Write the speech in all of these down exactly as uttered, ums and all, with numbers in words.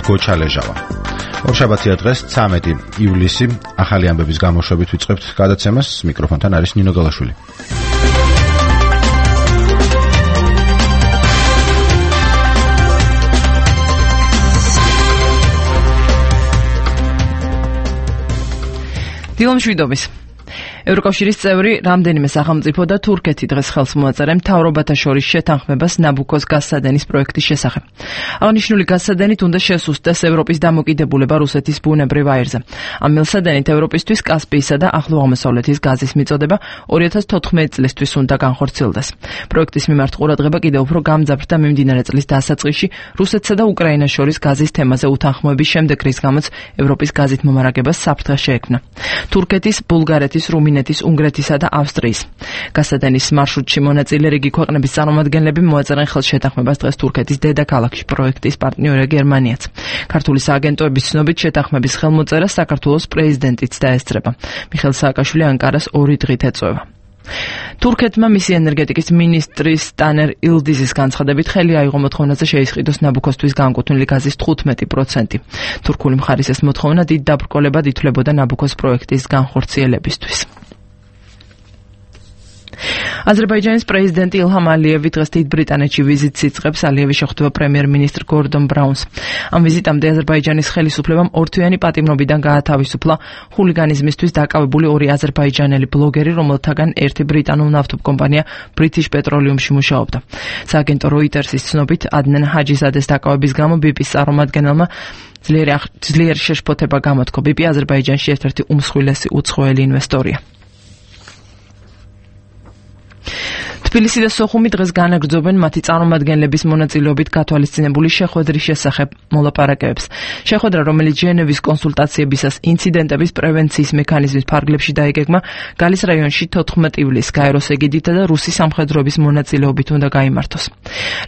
გოჩალეჟავა. ორშაბათია დღეს ცამეტი ივლისი, ახალი ამბების გამოშვებით ვიწყებთ გადაცემას. მიკროფონთან არის ნინო გალაშვილი. დილომშვიდობის. ევროკავშირის წევრი რამდენიმე სახელმწიფო და თურქეთი დღეს ხელს მოაწერენ მთავრობათა შორის შეთანხმებას ნაბუქოს გაზსადენის პროექტის შესახებ. აღნიშნული გაზსადენით უნდა შესუსტდეს ევროპის დამოკიდებულება რუსეთის ბუნებრივ აირზე. ამ მილსადენით ევროპისთვის კასპიისა და ახლო აღმოსავლეთის გაზის მიწოდება ორი ათას თოთხმეტი წლისთვის უნდა განხორციელდეს. პროექტის მიმართ ყურადღება კიდევ უფრო გამძაფრდა მიმდინარე წლის დასაწყისში რუსეთსა და უკრაინას შორის გაზის თემაზე უთანხმოების შემდეგ, რის გამოც ევროპის გაზით მომარაგებას საფრთხე შეექმნა. თურქეთის, ბულგარეთის, რუმინეთის, უნგრეთისა და ავსტრიის. გაზსადენის მარშრუტში მონაწილე რიგი ქვეყნების წარმომადგენლები მოაწერენ ხელს შეთანხმებას დღეს თურქეთის დედაქალაქში, პროექტის პარტნიორია გერმანიაც. ქართული სააგენტოების ცნობით შეთანხმების ხელმოწერას საქართველოს პრეზიდენტიც დაესწრება. მიხეილ სააკაშვილი ანკარას ორი დღით ეწვევა. თურქეთმა მისი ენერგეტიკის მინისტრის ტანერ ილდიზის განცხადებით ხელი აიღო მოთხოვნაზე შეისყიდოს ნაბუქოსთვის განკუთვნილი გაზის თხუთმეტი პროცენტი. თურქული მხარის ეს მოთხოვნა დიდ დაბრკოლებად ითვლებოდა ნაბუქოს პროექტის განხორციელებისთვის. აზერბაიჯანის პრეზიდენტი ილჰამ ალიევი დღეს დიდ ბრიტანეთში ვიზიტს იწყებს. ალიევი შეხვდება პრემიერ-მინისტრ გორდონ ბრაუნს. ამ ვიზიტამდე აზერბაიჯანის ხელისუფლებამ ორთვიანი პატიმრობიდან გაათავისუფლა ხულიგანიზმისთვის დაკავებული ორი აზერბაიჯანელი ბლოგერი, რომელთაგან ერთი ბრიტანულ ნავთობკომპანია British Petroleum-ში მუშაობდა. სააგენტო Reuters-ის ცნობით, ადნან ჰაჯიზადეს დაკავების გამო ბიპის წარმომადგენელმა ძლიერი შეშფოთება გამოთქო. ბიპი აზერბაიჯანში ერთ-ერთი უმსხვილესი უცხოელი ინვესტორია. თბილისი და სოხუმი დღეს განაგრძობენ მათი წარმომადგენლების მონაწილეობით გათვალისწინებული შეხვედრის შესახებ მოლაპარაკებებს. შეხვედრა, რომელიც ჟენევის კონსულტაციებისას ინციდენტების პრევენციის მექანიზმის ფარგლებში დაიგეგმა, გალის რაიონში თოთხმეტი ივლისს გაეროს ეგიდითა და რუსი სამხედროების მონაწილეობით უნდა გაიმართოს.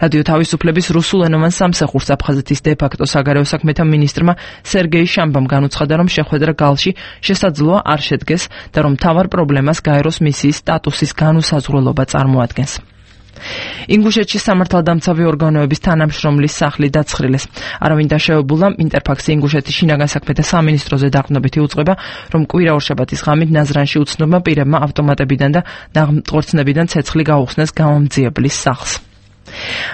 რადიო თავისუფლების რუსულენოვან სამსახურს აფხაზეთის დე-ფაქტო საგარეო საქმეთა მინისტრმა სერგეი შამბამ განუცხადა, რომ შეხვედრა გალში შესაძლოა არ შედგეს და რომ მთავარ პრობლემას გაეროს მისიის სტატუსის განუსაზღვრელობა წარმოადგენს. ინგუშეთში სამართალდამცავი ორგანოების თანამშრომლის სახლი დაცხრილეს. არავინ დაშავებულა. ინტერფაქსი ინგუშეთის შინაგან საქმეთა სამინისტროზე დაყრდნობითი უწყება, რომ კვირა ორშაბათის ღამით ნაზრანში უცნობმა პირებმა ავტომატებიდან და ნაღმწყვორცნებიდან ცეცხლი გაუხსნეს გამომძიებლის სახლს.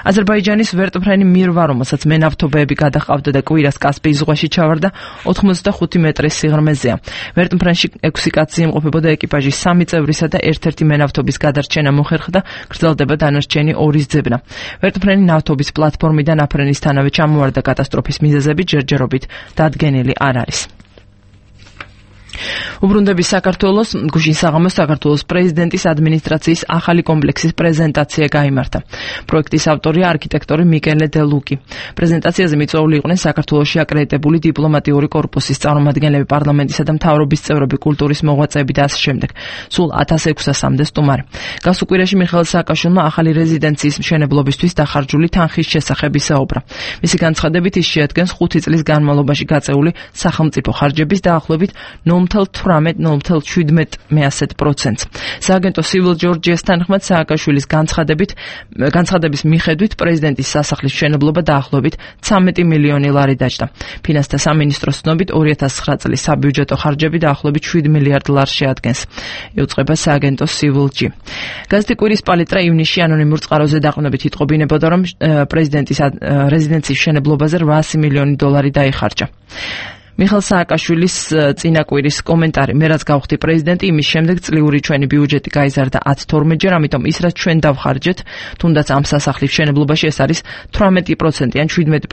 აზერბაიჯანის ვერტმფრენი მირვა, რომელსაც მენავთობეები გადაჰყავდა და კვირას კასპიის ზღვაში ჩავარდა, ოცდახუთი მეტრის სიღრმეზეა. ვერტმფრენში ექვსი კაცი იმყოფებოდა, ეკიპაჟის სამი წევრისა და ერთ-ერთი მენავთობის გადარჩენა მოხერხდა, გრძელდება დანარჩენი ორის ძებნა. ვერტმფრენი ნავთობის პლატფორმიდან აფრენისთანავე ჩამოვარდა. კატასტროფის მიზეზები ჯერჯერობით დადგენილი არ არის. უბრუნდების საქართველოს გუშინ საღამოს საქართველოს პრეზიდენტის ადმინისტრაციის ახალი კომპლექსის პრეზენტაცია გაიმართა. პროექტის ავტორია არქიტექტორი მიკელე დე ლუკი. პრეზენტაციაზე მიწვეული იყვნენ საქართველოში აკრედიტებული დიპლომატიური კორპუსის წარმომადგენლები, პარლამენტისა და მთავრობის წევრები, კულტურის მოღვაწეები და ასე შემდეგ. სულ ათას ექვსასამდე სტუმარი. გასულ კვირაში მიხეილ სააკაშვილმა ახალი რეზიდენციის მშენებლობისთვის დახარჯული თანხის შესახებ ისაუბრა. მისი განცხადებით, ის შეადგენს ხუთი წლის განმავლობაში გაწეული სახელმწიფო ხარჯების დაახლოებით ნულ თვრამეტ შვიდმეტ პროცენტს. სააგენტო Civil Georgia's თანხმად სააკაშვილის განცხადებით, განცხადების მიხედვით პრეზიდენტის სასახლის მშენებლობა დაახლოებით ცამეტი მილიონი ლარი დაჯდა. ფინანსთა სამინისტროს ცნობით ორი ათას ცხრა წლის საბიუჯეტო ხარჯები დაახლოებით შვიდ მილიარდ ლარს შეადგენს. იუწყება სააგენტო Civil G. გაზეთი კვირის პალიტრა ივნისში ანონიმურ წყაროზე დაყრდნობით იტყობინებოდა, რომ პრეზიდენტის რეზიდენციის მშენებლობაზე რვაასი მილიონი დოლარი დაიხარჯა. მიხეილ სააკაშვილის წინა კვირის კომენტარი: მე რაც გავხდი პრეზიდენტი, იმის შემდეგ წლიური ჩვენი ბიუჯეტი გაიზარდა ათი თორმეტჯერ, ამიტომ ის რაც ჩვენ დავხარჯეთ, თუნდაც ამ სასახლის მშენებლობაში ეს არის თვრამეტი პროცენტი ან შვიდმეტი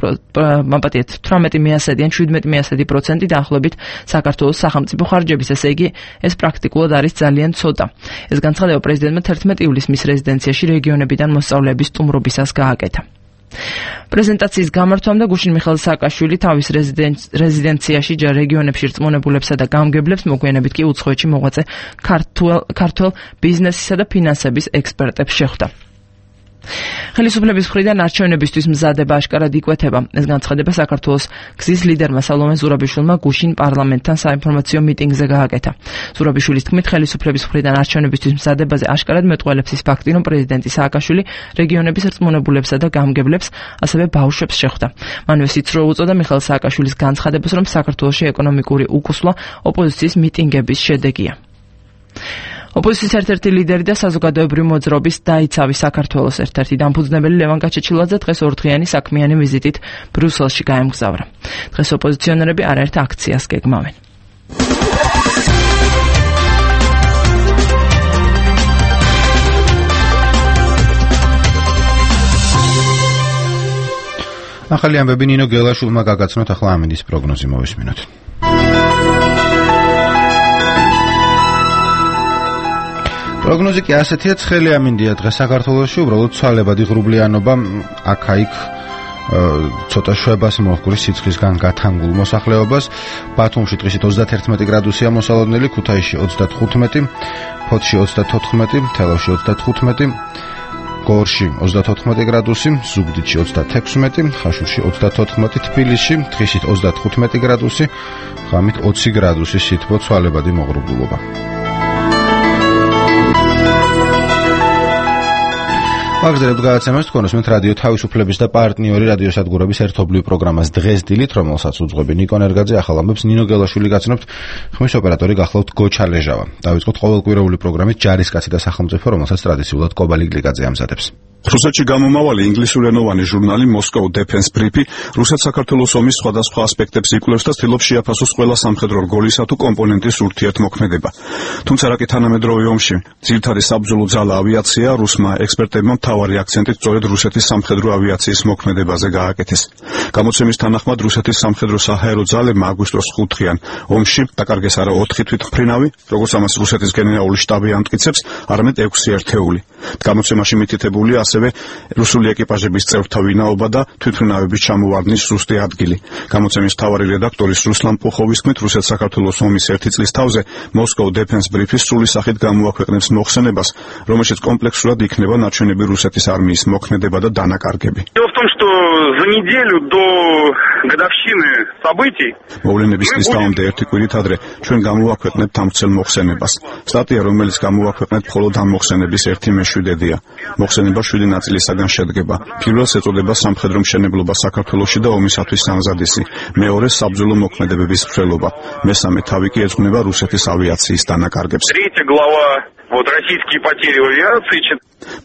მაპატიეთ თვრამეტი მიასედი ან შვიდმეტი მიასედი პროცენტი დაახლოებით საქართველოს სახელმწიფო ხარჯების, ესე იგი ეს პრაქტიკულად არის ძალიან ცოტა. ეს განცხადება პრეზიდენტმა თერთმეტი ივლისს მის რეზიდენციაში რეგიონებიდან მოსწავლეების სტუმრობისას გააკეთა. პრეზენტაციის გამართვამდე გუშინ მიხეილ სააკაშვილი თავის რეზიდენციაში რეგიონებში რწმუნებულებსა და გამგებლებს, მოგვიანებით კი უცხოეთში მოღვაწე ქართველ ბიზნესისა და ფინანსების ექსპერტებს შეხვდა. ხელისუფლების მხრიდან არჩევნებისთვის მზადება აშკარად იკვეთება. ეს განცხადება საქართველოს გზის ლიდერმა სალომე ზურაბიშვილმა გუშინ პარლამენტთან საინფორმაციო მიტინგზე გააკეთა. ზურაბიშვილის თქმით, ხელისუფლების მხრიდან არჩევნებისთვის მზადებაზე აშკარად მეტყველებს ის ფაქტი, რომ პრეზიდენტი სააკაშვილი რეგიონების რწმუნებულებსა და გამგებლებს, ასევე ბავშვებს შეხვდა. მანვე სიცრუე უწოდა მიხეილ სააკაშვილის განცხადებას, რომ საქართველოში ეკონომიკური უკუსვლა ოპოზიციის მიტინგების შედეგია. ოპოზიციის ერთ-ერთი ლიდერი და საზოგადოებრივი მოძრაობის დაიცავი საქართველოს ერთ-ერთი დამფუძნებელი ლევან გაჩეჩილაძე დღეს ორდღიანი საქმიანი ვიზიტით ბრიუსელში გაემგზავრა. დღეს ოპოზიციონერები არაერთ აქციას გეგმავენ. ახალი ამბები ნინო გელაშვილმა გაგაცნოთ, ახლა ამინდის პროგნოზი მოვისმინოთ. პროგნოზი კი ასეთია, ცხელი ამინდია დღეს საქართველოში, უბრალოდ ცვალებადი ღრუბლიანობა, აქა-იქ ცოტა შვებას მოჰკვრის სიცხისგან გათანგულ მოსახლეობას. ბათუმში დღისით ოცდაათერთმეტი გრადუსია მოსალოდნელი, ქუთაისში ოცდათხუთმეტი, ფოთში ოცდათოთხმეტი, თელავში ოცდათხუთმეტი, გორში ოცდათოთხმეტი გრადუსი, ზუგდიდში ოცდათექვსმეტი, ხაშურში ოცდათოთხმეტი, თბილისში დღისით ოცდათხუთმეტი გრადუსი, ღამით ოცი გრადუსი სითბო, ცვალებადი მოღრუბლულობა. აგზერებთ გადაცემას თქვენ უსმენთ რადიო თავისუფლების და პარტნიორი რადიოსადგურების ერთობლივ პროგრამას დღეს დილით, რომელსაც უძღვები ნიკო ნერგაძე, ახალ ამბებს ნინო გელაშვილი გაცნობთ, ხმის ოპერატორი გახლავთ გოჩა ლეჟავა. დავიწყოთ ყოველკვირეული პროგრამით ჯარისკაცი და სახელმწიფო, რომელსაც ტრადიციულად კობალი გლიკაძე ამზადებს. რუსეთში გამომავალი ინგლისურენოვანი ჟურნალი Moscow Defense Brief რუსეთ-საქართველოს ომის სხვადასხვა ასპექტებს იკვლევს და ცდილობს შეაფასოს ყველა სამხედრო რგოლისა თუ კომპონენტის ურთიერთმოქმედება. თუმცა რაკი თანამედროვე ომში ძირითადი საბრძოლო ძალა ავიაცია, რუსმა ექსპერტებმა მთავარი აქცენტი სწორედ რუსეთის სამხედრო ავიაციის მოქმედებაზე გააკეთეს. გამოცემის თანახმად რუსეთის სამხედრო საჰაერო ძალებმა აგვისტოს ხუთდღიან ომში დაკარგეს არა ოთხი თვითმფრინავი, როგორც ამას რუსეთის გენერალური შტაბი ამტკიცებს, არამედ ექვსი ერთეული. გამოცემაში მითითებულია ასევე რუსული ეკიპაჟების წევრთა ვინაობა და თვითმფრინავების ჩამოვარდნის ზუსტი ადგილი. გამოცემის მთავარი რედაქტორის რუსლან პუხოვის თქმით, რუსეთ-საქართველოს ომის ერთი წლის თავზე Moscow Defense Brief სრული სახით გამოაქვეყნებს მოხსენებას, რომელშიც კომპლექსურად იქნება ნაჩვენები რუსეთის არმიის მოქმედება და დანაკარგები. მოვლენების წლის თავამდე ერთი კვირით ადრე ჩვენ გამოაქვეყნებთ ამ ვრცელ მოხსენებას. სტატია, რომელიც გამოაქვეყნეთ, მხოლოდ ამ მოხსენების ერთი მეშვიდედია. მოხსენება შვიდი ნაწილისაგან შედგება. პირველს ეწოდება სამხედრო მშენებლობა საქართველოში და ომისათვის სამზადისი. მეორე საბრძოლო მოქმედებების ვრცელობა. მესამე თავი კი ეძღვნება რუსეთის ავიაციის დანაკარგებს.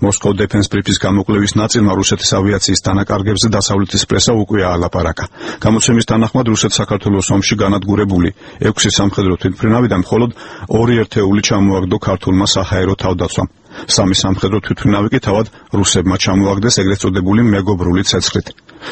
Moscow Defense Brief-ის გამოკვლევის ნაწილმა რუსეთის ავიაციის დანაკარგებზე დასავლეთის პრესა უკვე აალაპარაკა. გამოცემის თანახმად რუსეთ-საქართველოს ომში განადგურებული ექვსი სამხედრო თვითმფრინავიდან მხოლოდ ორი ერთეული ჩამოაგდო ქართულმა საჰაერო თავდაცვამ. სამი სამხედრო თვითმფრინავი კი თავად რუსებმა ჩამოაგდეს ეგრეთ წოდებული მეგობრული ცეცხლით.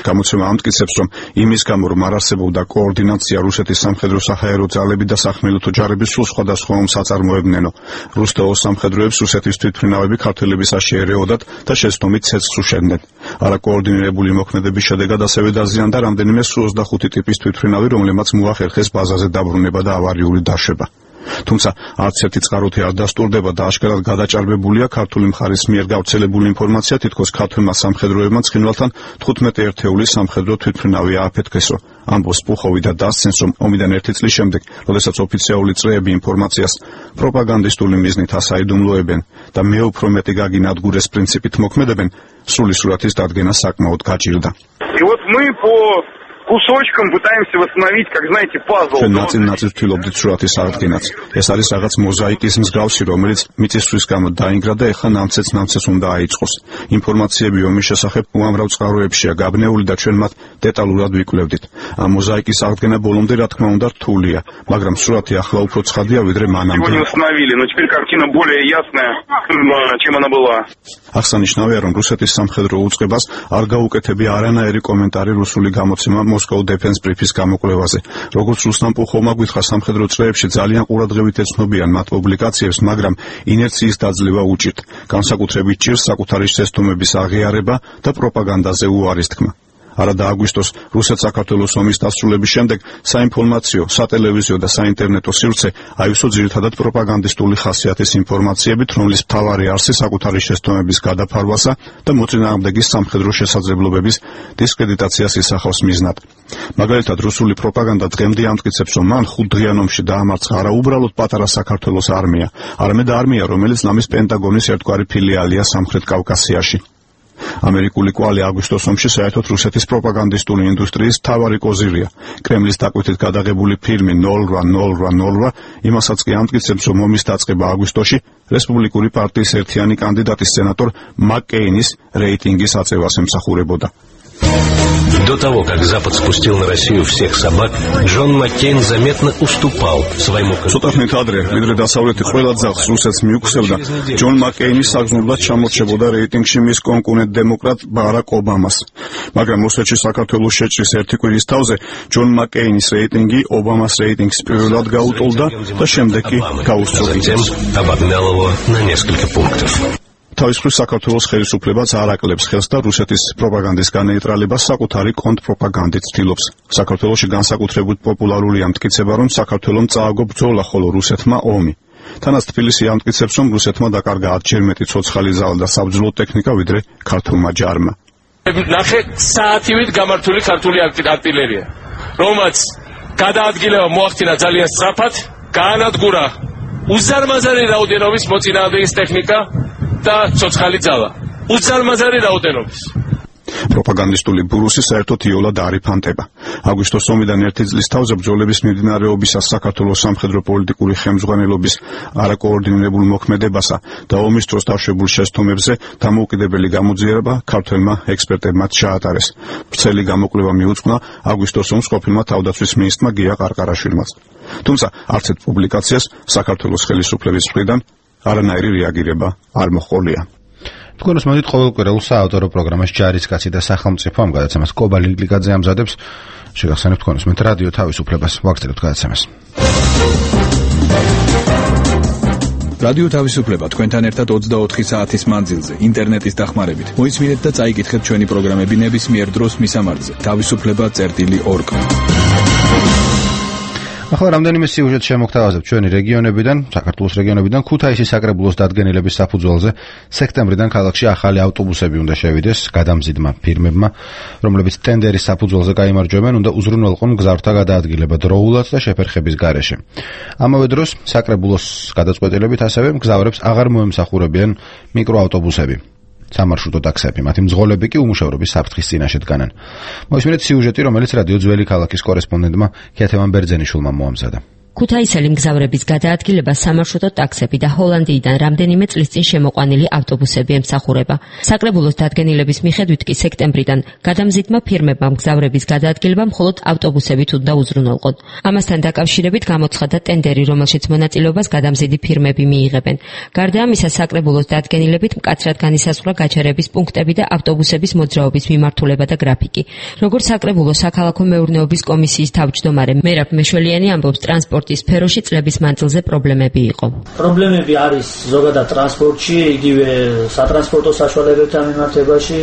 გამოცემა ამტკიცებს, რომ იმის გამო, რომ არ არსებობდა კოორდინაცია რუსეთის სამხედრო საჰაერო ძალები და სახმელეთო ჯარების სულ სხვადასხვა ომს აწარმოებდნენო, რუს და ოს სამხედროებს რუსეთის თვითმფრინავები ქართველების აშეერეოდათ და შეცდომით ცეცხლს უშვებდნენ. არაკოორდინირებული მოქმედების შედეგად ასევე დაზიანდა რამდენიმე სუ ოცდახუთი ტიპის თვითმფრინავი, რომლებმაც მოახერხეს ბაზაზე დაბრუნება და ავარიული დაშვება. თუმცა არც ერთი წყაროთი არ დასტურდება და აშკარად გადაჭარბებულია ქართული მხარის მიერ გავრცელებული ინფორმაცია, თითქოს ქართველმა სამხედროებმა ცხინვალთან თხუთმეტი ერთეული სამხედრო თვითმფრინავი ააფეთქესო. ამბობს პუხოვი და დასცენს, რომ ომიდან ერთი წლის შემდეგ, როდესაც ოფიციალური წრეები ინფორმაციას პროპაგანდისტული მიზნით ასაიდუმლოებენ და მე უფრო მეტი გაგინადგურეს პრინციპით მოქმედებენ, სრული სურათის დადგენა საკმაოდ გაჭირდა. Кусочком пытаемся восстановить, как знаете, пазл. ნაწილ-ნაწილ ვთვლობდით სურათის აღდგენაც. ეს არის რაღაც მოზაიკის მსგავსი, რომელიც მიწისძვრის გამო დაინგრა და ეხლა ნამცეც-ნამცეც უნდა აიწყოს. ინფორმაციები ომის შესახებ უამრავ წყაროებშია გაბნეული და ჩვენ მათ დეტალურად ვიკვლევდით. ამ მოზაიკის აღდგენა ბოლომდე, რა თქმა უნდა, რთულია, მაგრამ სურათი ახლა უფრო ცხადია, ვიდრე მანამდე. აღსანიშნავია, რომ რუსეთის სამხედრო უწყებას არ გაუკეთებია არანაირი კომენტარი რუსული გამოცემა Moscow Defense Brief-ის გამოკვლევაზე. როგორც რუსლან პუხოვმა გითხრა, სამხედრო წრეებში ძალიან ყურადღებით ეცნობიან მათ პუბლიკაციებს, მაგრამ ინერციის დაძლევა უჭირთ. განსაკუთრებით ჭირს საკუთარი შეცდომების აღიარება და პროპაგანდაზე უარის თქმა. არადა აგვისტოს რუსეთ-საქართველოს ომის დასრულების შემდეგ საინფორმაციო, სატელევიზიო და საინტერნეტო სივრცე აივსო ძირითადად პროპაგანდისტული ხასიათის ინფორმაციებით, რომლის მთავარი არსი საკუთარი შესტომების გადაფარვასა და მოწინააღმდეგის სამხედრო შესაძლებლობების დისკრედიტაციას ისახავს მიზნად. მაგალითად, რუსული პროპაგანდა დღემდე ამტკიცებს, რომ მან ხუთდღიან ომში დაამარცხა არა უბრალოდ პატარა საქართველოს არმია, არამედ არმია, რომელიც ნამის პენტაგონის ერთგვარი ფილიალია სამხრეთ კავკასიაში. ამერიკული კვალი აგვისტოს ომში საერთოდ რუსეთის პროპაგანდისტული ინდუსტრიის მთავარი კოზირია. კრემლის დაკვეთით გადაღებული ფილმი ნოლ რვა ნოლ რვა ნოლ რვა იმასაც კი ამტკიცებს, რომ ომის დაწყება აგვისტოში რესპუბლიკური პარტიის ერთიანი კანდიდატის სენატორ მაკ-კეინის რეიტინგის აწევას ემსახურებოდა. До того, как Запад спустил на Россию всех собак, Джон Маккейн заметно уступал своему Ცოტახნით ადრე, ვიდრე დასავლეთი ყველა ძაღლს რუსეთს მიუქცევდა, ჯონ მაკ-კეინი საგრძნობლად ჩამორჩებოდა რეიტინგში მის კონკურენტ დემოკრატ ბარაკ ობამას. მაგრამ რუსეთში საქართველოს შეჭრის ერთი კვირის თავზე ჯონ მაკ-კეინის რეიტინგი ობამას რეიტინგს პირველად გაუტოლდა და შემდეგ კი გაუსწორდა. обогнал его на несколько пунктов. თავის მხრივ საქართველოს ხელისუფლებაც არ აკლებს ხელს და რუსეთის პროპაგანდის განეიტრალებას საკუთარი კონტრპროპაგანდით ცდილობს. საქართველოში განსაკუთრებით პოპულარულია მტკიცება, რომ საქართველომ წააგო ბრძოლა, ხოლო რუსეთმა ომი. თანაც თბილისი ამტკიცებს, რომ რუსეთმა დაკარგა ათჯერ მეტი ცოცხალი ძალა და საბრძოლო ტექნიკა, ვიდრე ქართულმა ჯარმა. ნახე საათივით გამართული ქართული артиллерია, რომელიც გადაადგილება მოახდინა ძალიან სწრაფად, გაანადგურა უზარმაზარი რაოდენობის მოწინააღმდეგის ტექნიკა და ცოცხალი ძალა. უზარმაზარი რაოდენობის. პროპაგანდისტული ბურუსი საერთოდ იოლად არ იფანტება. აგვისტოს ომიდან ერთი წლის თავზე ბრძოლების მიმდინარეობისას საქართველოს სამხედრო პოლიტიკური ხელმძღვანელობის არაკოორდინირებულ მოქმედებასა და ომის დროს დაშვებულ შესტომებზე დამოუკიდებელი გამოძიება ქართველმა ექსპერტებმა ჩაატარეს. ვრცელი გამოკვლევა მიუძღვნა აგვისტოს ომს ყოფილმა თავდაცვის მინისტრმა გია ყარყარაშვილმაც. თუმცა არც ერთ პუბლიკაციას საქართველოს ხელისუფლების მხრიდან არანაირი რეაგირება არ მოჰყოლია. თქვენ უსმენთ ყოველკვირეულ საავტორო პროგრამას ჯარისკაცი და სახელმწიფო ამ გადაცემას კობა ლიგლიძე ამზადებს. შეგახსენებთ თქვენ უსმენთ რადიო თავისუფლებას, ვაგრძელებთ გადაცემას. რადიო თავისუფლება თქვენთან ერთად ოცდაოთხი საათის მანძილზე ინტერნეტის დახმარებით. მოისმინეთ და წაიკითხეთ ჩვენი პროგრამები ნებისმიერ დროს მისამართზე თავისუფლება წერტილი ორგ. ახლა რამდენიმე სიუჟეტს შემოგთავაზებთ ჩვენი რეგიონებიდან, საქართველოს რეგიონებიდან. ქუთაისის საკრებულოს დადგენილების საფუძველზე სექტემბრიდან ქალაქში ახალი ავტობუსები უნდა შევიდეს გადამზიდმა ფირმებმა, რომლებიც ტენდერის საფუძველზე გაიმარჯვებენ, უნდა უზრუნველყონ გზავრთა გადაადგილება დროულად და შეფერხების გარეშე. ამავე დროს საკრებულოს გადაწყვეტილებით ასევე მგზავრებს აღარ მოემსახურებიან მიკროავტობუსები. სამარშრუტო ტაქსები, მათი მძღოლები კი უმუშევრობის საფრთხის წინაშე დგანან. მოისმინეთ სიუჟეტი, რომელიც რადიო ძველი ქალაქის კორესპონდენტმა ქეთევან ბერძენიშვილმა მოამზადა. ქუთაისელი მგზავრების გადაადგილება სამარშრუტო ტაქსები და ჰოლანდიიდან რამდენიმე წლის წინ შემოყვანილი ავტობუსები ემსახურება. საკრებულოს დადგენილების მიხედვით კი სექტემბრიდან გადამზიდმა ფირმებმა მგზავრების გადაადგილება მხოლოდ ავტობუსებით უნდა უზრუნველყონ. ამასთან დაკავშირებით გამოცხადა ტენდერი, რომელშიც მონაწილეობას გადამზიდი ფირმები მიიღებენ. გარდა ამისა, საკრებულოს დადგენილებით მკაცრად განისაზღვრა გაჩერების პუნქტები და ავტობუსების მოძრაობის მიმართულება და გრაფიკი. როგორც საკრებულოს საქალაქო მეურნეობის კომისიის თავმჯდომარე მერაბ მეშველიანი ამბობს, ტრანსპორტ სფეროში წლების მანძილზე პრობლემები იყო. პრობლემები არის ზოგადად ტრანსპორტში, იგივე სატრანსპორტო საშუალებებთან მიმართებაში,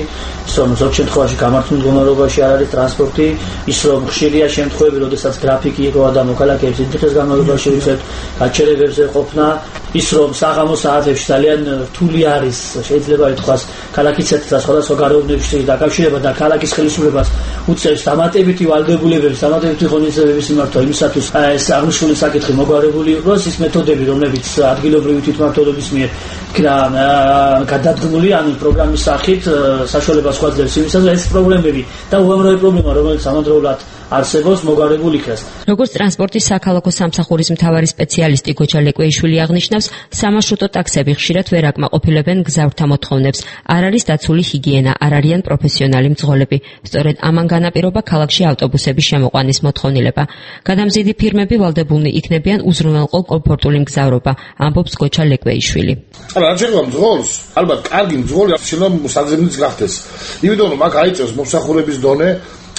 ის რომ ზოგ შემთხვევაში გამართულ მდგომარეობაში არ არის ტრანსპორტი, ის რომ ხშირია შემთხვევები, როდესაც გრაფიკი იყო და მოქალაქეებს დიდხანს განმავლობაში უწევთ გაჩერებებზე ყოფნა, ის რომ საღამო საათებში ძალიან რთული არის, შეიძლება ითქვას, ქალაქის და სხვადასხვა გარემოებებში დაკავშირება და ქალაქის ხელისუფლებას უწევს დამატებითი ვალდებულებების, დამატებითი ღონისძიებების მიმართვა იმისათვის, ეს აღნიშნული საკითხი მოგვარებული იყოს, ის მეთოდები, რომლებიც ადგილობრივი თვითმმართველობის მიერ იქნა გადადგმული, ანუ პროგრამის სახით საშუალებას გვაძლევს იმისათვის, ეს პრობლემები და უამრავი პრობლემა, რომელიც ამავდროულად არსებობს, მოგვარებული იქნას. როგორც ტრანსპორტის საქალაქო სამსახურის მთავარი სპეციალისტი გოჯა ლეკვეიშვილი აღნიშნავს, სამარშრუტო ტაქსები ხშირად ვერ აკმაყოფილებენ გზავრთა მოთხოვნებს. არ არის დაცული ჰიგიენა, არ არიან პროფესიონალი მძღოლები. სწორედ ამან განაპირობა ქალაქში ავტობუსების შემოყვანის მოთხოვნილება. გადამზიდი ფირმები ვალდებულნი იქნებიან უზრუნველყო კომფორტული მგზავრობა, ამბობს გოჯა ლეკვეიშვილი. არა, რა შეიძლება მძღოლს? ალბათ კარგი მძღოლი შეიძლება საძებნიც გახდეს. იმიტომ რომ აქ აიწევს მომსახურების დონე,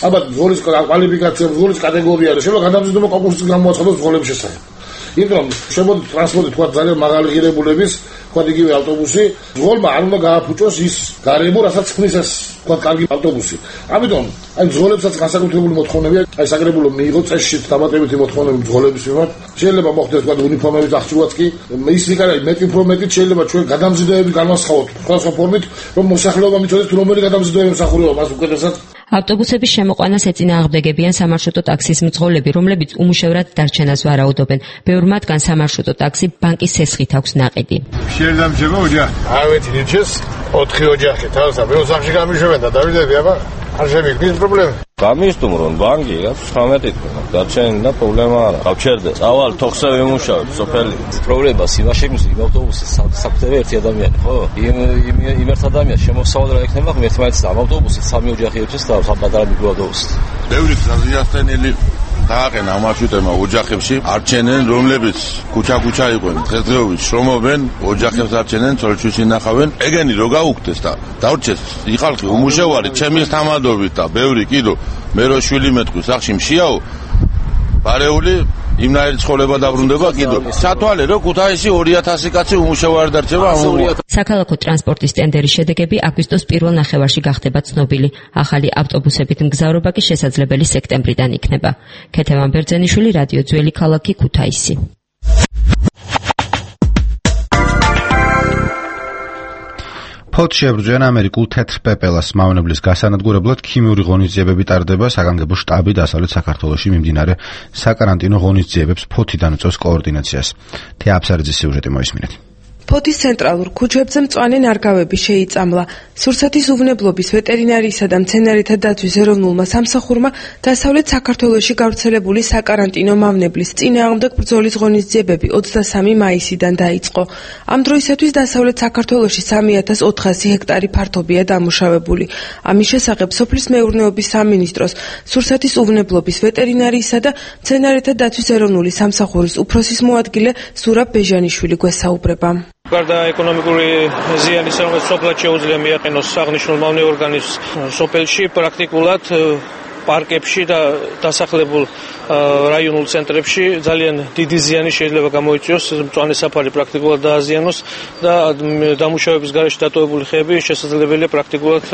ალბათ მძღოლის კვალიფიკაცია, მძღოლის კატეგორია და შეიძლება გადამზიდობა კონკურსის გამოაცხადოს მძღოლების შესახებ. იმიტომ რომ შემოდი ტრანსპორტი თქვა ძალიან მაღალი ღირებულების თქვა იგივე ავტობუსი, ძღოლმა არ უნდა გააფუჭოს ის გარემო, რასაც ქმნის ეს თქვა კარგი ავტობუსი. ამიტომ აი ძღოლებსაც განსაკუთრებული მოთხოვნებია, აი საკრებულო მიიღო წესში დამატებითი მოთხოვნები ძღოლების მიმართ. შეიძლება მოხდეს თქვა უნიფორმების აღჭურვაც კი, ის იქნება მეტი უფრო მეტი შეიძლება ჩვენ გადამზიდვები განვასხვაოთ სხვადასხვა ფორმით, რომ მოსახლეობა მიცოდეს თუ რომელი გადამზიდვები მსახურება მას უკეთესად. ავტობუსების შემოყვანას ეწინააღმდეგებიან სამარშრუტო ტაქსის მძღოლები, რომლებიც უმუშევრად დარჩენას ვარაუდობენ. ბევრ მათგან სამარშრუტო ტაქსი ბანკის სესხით აქვს ნაყიდი. შეიძლება ოჯახ. ავეთ ნიჩეს ოთხი ოჯახი თავსა მეორე სახში გამიშვენ და დავიდები აბა. არ შემიგდის პრობლემა. გამისტუმრონ ბანკი რაც ცხრამეტი თქმა დარჩენილი და პრობლემა არა. გავჩერდე. წავალ თოხზე ვიმუშავებ სოფელი. პრობლემას იმაში მის იმ ავტობუსის საფრთხე ერთი ადამიანი ხო? იმ იმ ერთ ადამიანს შემოსავალი რა იქნება ერთმანეთს ამ ავტობუსით სამი ოჯახი ერთის და საპატარა მიკროავტობუსით. ბევრი ზიანსტენილი დააყენა ამ მარშრუტებმა ოჯახებში არჩენენ რომლებიც ქუჩა-ქუჩა იყვნენ დღესდღეობით შრომობენ ოჯახებს არჩენენ წოლჩის ინახავენ ეგენი რო გაუქდეს და დავრჩეს იყალხი უმუშევარი ჩემის თამადობით და ბევრი კიდო მე რო შვილი მეტყვი სახში მშიაო ბარეული იმნაირი ცხოვრება დაბრუნდება კიდო სათვალე რო ქუთაისში ორი ათასი კაცი უმუშევარი დარჩება ამ საქალაქო ტრანსპორტის ტენდერის შედეგები აგვისტოს პირველ ნახევარში გახდება ცნობილი. ახალი ავტობუსებით მგზავრობა კი შესაძლებელი სექტემბრიდან იქნება. ქეთევან ბერძენიშვილი, რადიო ძველი ქალაქი, ქუთაისი. ფოთში ებრძვიან ამერიკულ თეთრ პეპელას მავნებლის გასანადგურებლად ქიმიური ღონისძიებები ტარდება საგანგებო შტაბი დასავლეთ საქართველოში მიმდინარე საკარანტინო ღონისძიებებს ფოთიდან უწევს координаციას. თეა აფსარიძის სიუჟეტი მოისმინეთ. ფოთის ცენტრალურ ქუჩებზე მწვანე ნარგავები შეიწამლა. სურსათის უვნებლობის ვეტერინარიისა და მცენარეთა დაცვის ეროვნულმა სამსახურმა დასავლეთ საქართველოში გავრცელებული საკარანტინო მავნებლის წინააღმდეგ ბრძოლის ღონისძიებები ოცდასამი მაისიდან დაიწყო. ამ დროისათვის დასავლეთ საქართველოში სამი ათას ოთხასი ჰექტარი ფართობია დამუშავებული. ამის შესახებ სოფლის მეურნეობის სამინისტროს სურსათის უვნებლობის ვეტერინარიისა და მცენარეთა დაცვის ეროვნული სამსახურის უფროსის მოადგილე ზურაბ ბეჟანიშვილი გვესაუბრება. გარდა ეკონომიკური ზიანის, რომელიც სოფლად შეუძლია მიაყენოს აღნიშნულ მავნე ორგანიზმს სოფელში, პრაქტიკულად პარკებში და დასახლებულ რაიონულ ცენტრებში ძალიან დიდი ზიანი შეიძლება გამოიწვიოს, მწვანე საფარი პრაქტიკულად დააზიანოს და დამუშავების გარეშე დატოვებული ხეები შესაძლებელია პრაქტიკულად